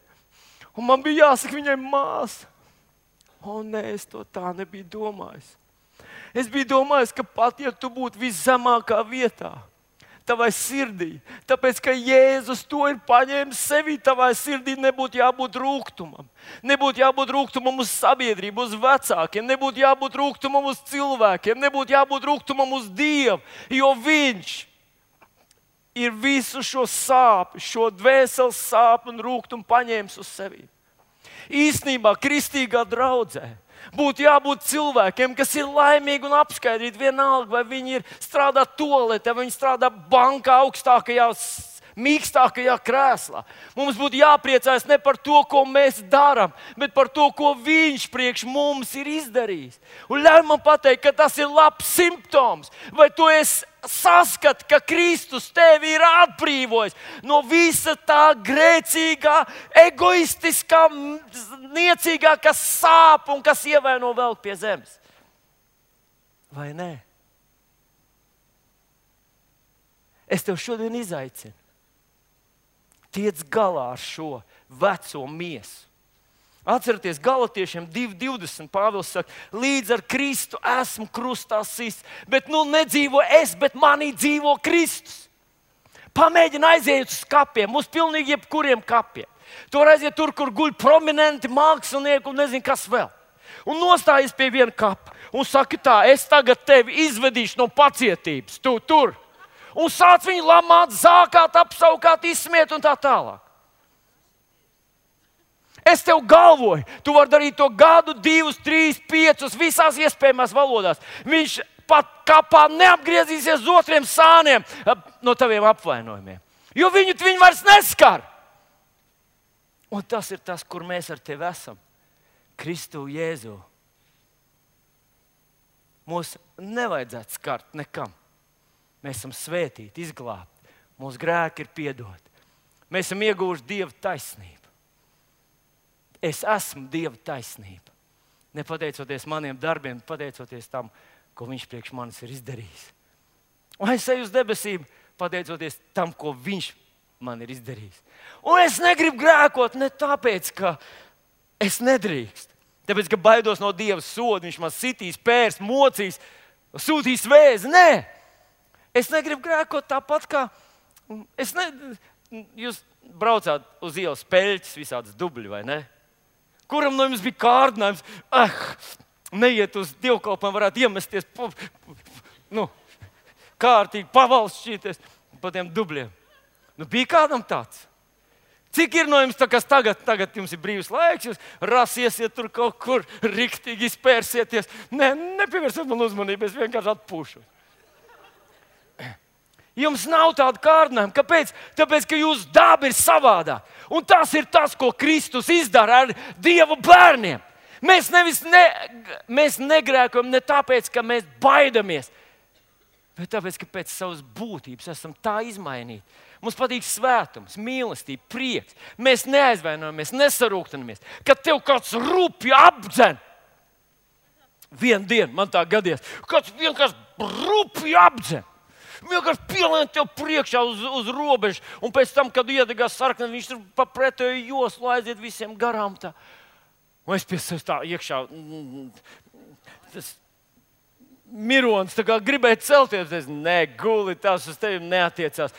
Un man bija jāsaka viņai māsa. Nē, es to tā nebiju domājis. Es biju domājis, ka pat ja tu būtu viszemākā vietā, tavai sirdī, tāpēc, ka Jēzus to ir paņēmis sevī, tavai sirdī nebūtu jābūt rūgtumam. Nebūtu jābūt rūgtumam uz sabiedrību, uz vecākiem, nebūtu jābūt rūgtumam uz cilvēkiem, nebūtu jābūt rūgtumam uz Dievu, jo Viņš ir visu šo sāpi, šo dvēseles sāpi un rūgtumu paņēmis uz sevi. Īstenībā kristīgā draudzē būtu jābūt cilvēkiem, kas ir laimīgi un apskaidrīti vienalga, vai viņi strādā toaletē, vai viņi strādā bankā augstākajā, mīkstākajā krēslā. Mums būtu jāpriecājas ne par to, ko mēs darām, bet par to, ko Viņš priekš mums ir izdarījis. Un ļauj man pateikt, ka tas ir labs simptoms. Vai tu esi saskati, ka Kristus tevi ir atbrīvojis no visa tā grēcīgā, egoistiskā, niecīgā, kas sāp un kas ievaino velk pie zemes? Vai nē? Es tev šodien izaicinu. Tiec galā ar šo veco miesu. Atcerieties, Galatiešiem 2:20 Pāvils saka, līdz ar Kristu esmu krustā sists, bet nu nedzīvo es, bet manī dzīvo Kristus. Pamēģini aiziet uz kapiem, uz pilnīgi jebkuriem kapiem. Tu vari aiziet tur, kur guļ prominenti mākslinieki un nezinu, kas vēl. Un nostājies pie viena kapa un saki tā, es tagad tevi izvedīšu no pacietības, tu tur. Un sāc viņu lamāt, zākāt, apsaukāt, izsmiet un tā tālāk. Es tev galvoju, tu vari darīt to gadu, 2, 3, 5, visās iespējamās valodās. Viņš pat kapā neapgriezīsies uz otriem sāniem no taviem apvainojumiem. Jo viņu vairs neskar. Un tas ir tas, kur mēs ar tevi esam. Kristu Jēzu. Mūs nevajadzētu skart nekam. Mēs esam svētīti, izglābti. Mūsu grēki ir piedoti. Mēs esam ieguvuši Dieva taisnību. Es esmu Dieva taisnība. Ne pateicoties maniem darbiem, pateicoties tam, ko Viņš priekš manis ir izdarījis. Un es eju uz debesīm, pateicoties tam, ko Viņš man ir izdarījis. Un es negribu grēkot ne tāpēc, ka es nedrīkstu. Tāpēc, ka baidos no Dieva soda, Viņš man sitīs, pērs, mocīs, sūtīs vēzi. Nē, es negribu grēkot tāpat kā... Jūs braucāt uz ielas peļķis, visādas dubļi, vai ne? Kuram no jums bija kārdinājums? Neiet uz dievkalpojumu, varētu iemesties, kārtīgi pavalsšķīties pa tiem dubļiem. Bija kādam tāds? Cik ir no jums tā, kas tagad jums ir brīvs laiks, jūs rasiesiet tur kaut kur, riktīgi izpērsieties? Nē, nepievērsiet man uzmanību, es vienkārši atpūšu. Jums nav tāda kārdinājuma. Kāpēc? Tāpēc, ka jūsu daba ir savādāk. Un tas ir tas, ko Kristus izdara ar Dieva bērniem. Mēs negrēkojam ne tāpēc, ka mēs baidamies, bet tāpēc, ka pēc savas būtības esam tā izmainīti. Mums patīk svētums, mīlestība, prieks. Mēs neaizvainojamies, nesarūktamies. Kad tev kāds rupji apdzen, vienu dienu man tā gadījās, kāds vienkārši rupji apdzen. Vienkārši pielien tev priekšā uz robežu, un pēc tam, kad iedegās sarkni, viņš tur pa pretēju joslu aiziet visiem garām. Tā. Un es pie sevis tā iekšā, tas mironis tā kā gribēja celties. Es, nē, guli, tas uz tevi neatiecās.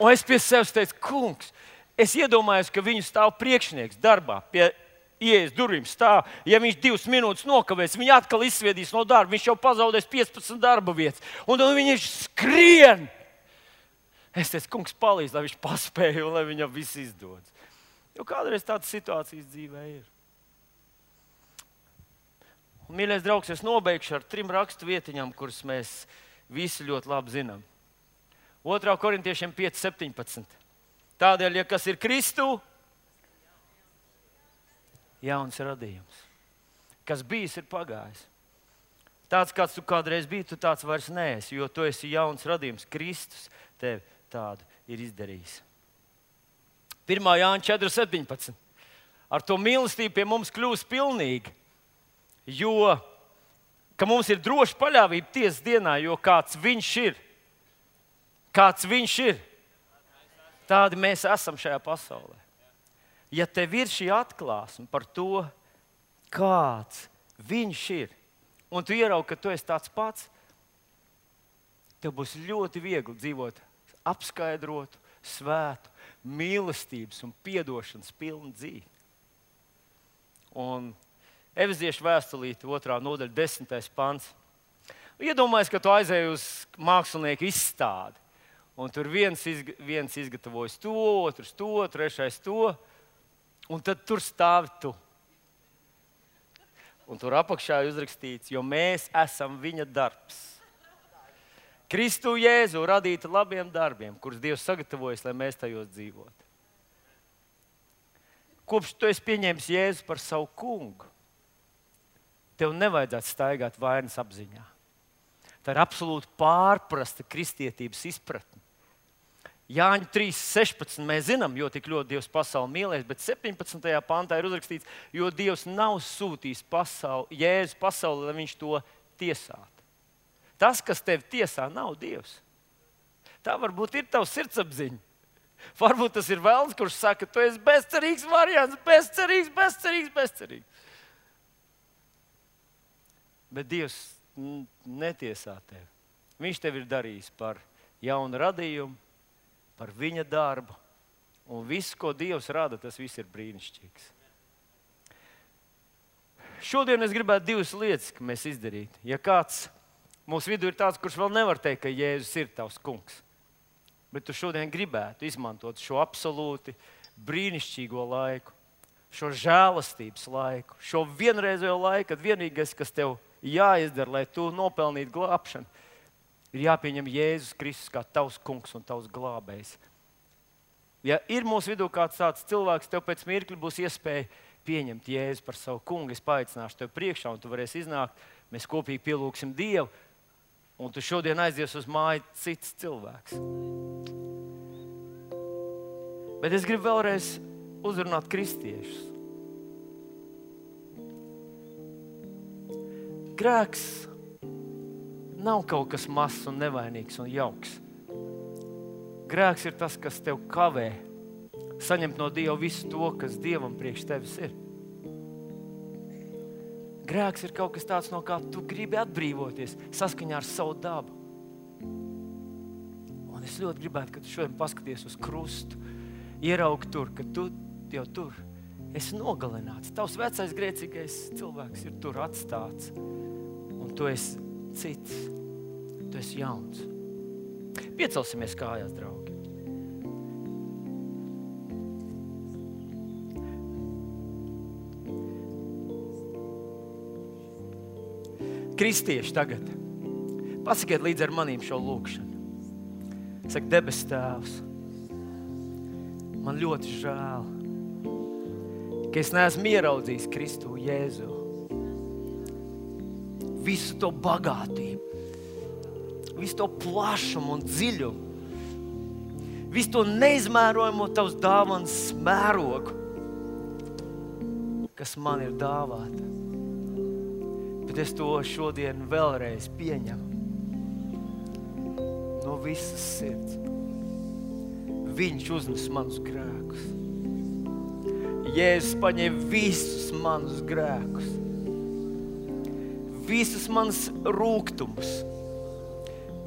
Un es pie sevis teicu, kungs, es iedomājos, ka viņu stāv priekšnieks darbā pie ieejas durvīm stāv. Ja viņš 2 minūtes nokavēs, viņu atkal izsviedīs no darba. Viņš jau pazaudēs 15 darba vietas. Un viņš skrien. Es teicu, kungs, palīdz, lai viņš paspēja un lai viņam viss izdodas. Jo kādreiz tādas situācijas dzīvē ir. Un, mīļais draugs, es nobeigšu ar 3 rakstu vietiņām, kuras mēs visi ļoti labi zinām. 2. Korintiešiem 5:17. Tādēļ, ja kas ir Kristu, jauns radījums. Kas bijis, ir pagājis. Tāds, kāds tu kādreiz biji, tu tāds vairs neesi, jo tu esi jauns radījums. Kristus tev tādu ir izdarījis. 1. Jāņa 4:17. Ar to mīlestību pie mums kļūst pilnīga, jo ka mums ir droša paļāvība tiesas dienā, jo kāds viņš ir, tādi mēs esam šajā pasaulē. Ja tev ir šī atklāsme par to, kāds viņš ir, un tu ieraugi, ka tu esi tāds pats, tev būs ļoti viegli dzīvot apskaidrotu, svētu, mīlestības un piedošanas pilnu dzīvi. Un Efeziešu vēstulīte 2. nodaļa 10. pants. Iedomājies, ka tu aizēji uz mākslinieku izstādi, un tur viens izgatavojas to, otrs to, trešais to. Un tad tur stāvi tu. Un tur apakšā ir uzrakstīts, jo mēs esam viņa darbs. Kristu Jēzu radīta labiem darbiem, kurus Dievs sagatavojas, lai mēs tajos dzīvotu. Kopš tu esi pieņēmis Jēzu par savu kungu, tev nevajadzētu staigāt vainas apziņā. Tā ir absolūti pārprasta kristietības izpratne. Jāņa 3:16 mēs zinām, jo tik ļoti Dievs pasauli mīlēs, bet 17. pantā ir uzrakstīts, jo Dievs nav sūtījis Jēzu pasauli, lai viņš to tiesātu. Tas, kas tevi tiesā, nav Dievs. Tā varbūt ir tavs sirdsapziņa. Varbūt tas ir velns, kurš saka, tu esi bezcerīgs variants, bezcerīgs. Bet Dievs netiesā tevi. Viņš tevi ir darījis par jaunu radījumu, par viņa darbu. Un viss, ko Dievs rada, tas viss ir brīnišķīgs. Šodien es gribētu divas lietas, ka mēs izdarītu. Ja kāds mūsu vidū ir tāds, kurš vēl nevar teikt, ka Jēzus ir tavs kungs, bet tu šodien gribētu izmantot šo absolūti brīnišķīgo laiku, šo žēlastības laiku, šo vienreizējo laiku, kad vienīgais, kas tev jāizdara, lai tu nopelnītu glābšanu, ir jāpieņem Jēzus Kristus kā tavs kungs un tavs glābējs. Ja ir mūsu vidū kāds tāds cilvēks, tev pēc mirkļa būs iespēja pieņemt Jēzu par savu kungu, es paaicināšu tev priekšā, un tu varēsi iznākt, mēs kopīgi pielūgsim Dievu, un tu šodien aizies uz māju cits cilvēks. Bet es gribu vēlreiz uzrunāt kristiešus. Grēks nav kaut kas mazs un nevainīgs un jauks. Grēks ir tas, kas tev kavē saņemt no Dieva visu to, kas Dievam priekš tevis ir. Grēks ir kaut kas tāds, no kā tu gribi atbrīvoties saskaņā ar savu dabu. Un es ļoti gribētu, ka tu šodien paskaties uz krustu, ieraugi tur, ka tu jau tur esi nogalināts. Tavs vecais grēcīgais cilvēks ir tur atstāts. Un tu esi cits. Tu esi jauns. Piecelsimies kājās, draugi. Kristieši tagad, pasakiet līdz ar manīm šo lūkšanu. Saka, debes Tēvs, man ļoti žēl, ka es neesmu ieraudzījis Kristu Jēzu. Visu to bagātību, visu to plašumu un dziļumu, visu to neizmērojamo tavas dāvanas mērogu, kas man ir dāvāta. Bet es to šodien vēlreiz pieņemu no visas sirds. Viņš uznes manus grēkus. Jēzus paņēma visus manus grēkus, visus manas rūgtumus,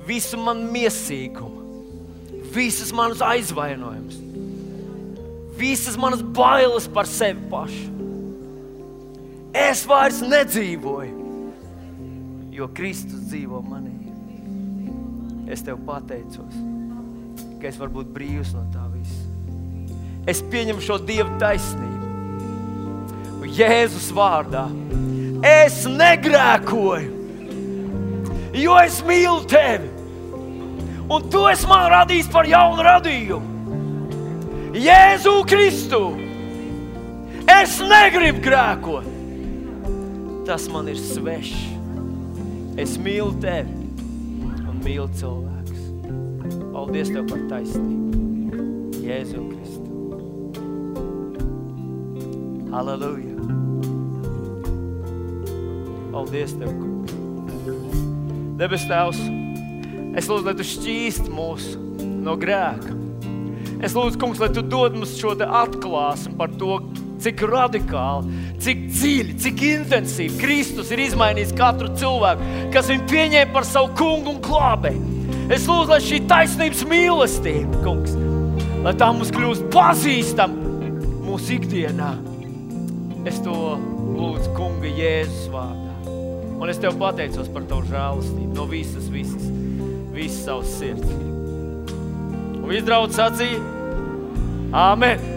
visu manu miesīgumu, visus manus aizvainojumus, visas manas bailes par sevi pašu. Es vairs nedzīvoju, jo Kristus dzīvo manī. Es tev pateicos, ka es varu būt brīvs no tā visa. Es pieņemu šo Dieva taisnību. Un Jēzus vārdā es negrēkoju, jo es mīlu tevi. Un tu esi man radījis par jaunu radījumu. Jēzu Kristu, es negribu grēkot. Tas man ir svešs. Es mīlu tevi un mīlu cilvēkus. Paldies tev par taisnību. Jēzu Kristu. Halleluja. Paldies tev, kungs. Debes Tēvs, es lūdzu, lai tu šķīsti mūs no grēka. Es lūdzu, kungs, lai tu dod mums šo te atklāsmi par to, cik radikāli, cik dziļi, cik intensīvi Kristus ir izmainījis katru cilvēku, kas viņu pieņēma par savu kungu un glābēju. Es lūdzu, lai šī taisnības mīlestība, kungs, lai tā mums kļūst pazīstama mūsu ikdienā. Es to lūdzu kunga Jēzus vārdā. Un es tev pateicos par tavu žēlastību no visas savas sirds. Un viss draudz sacīja, Āmen.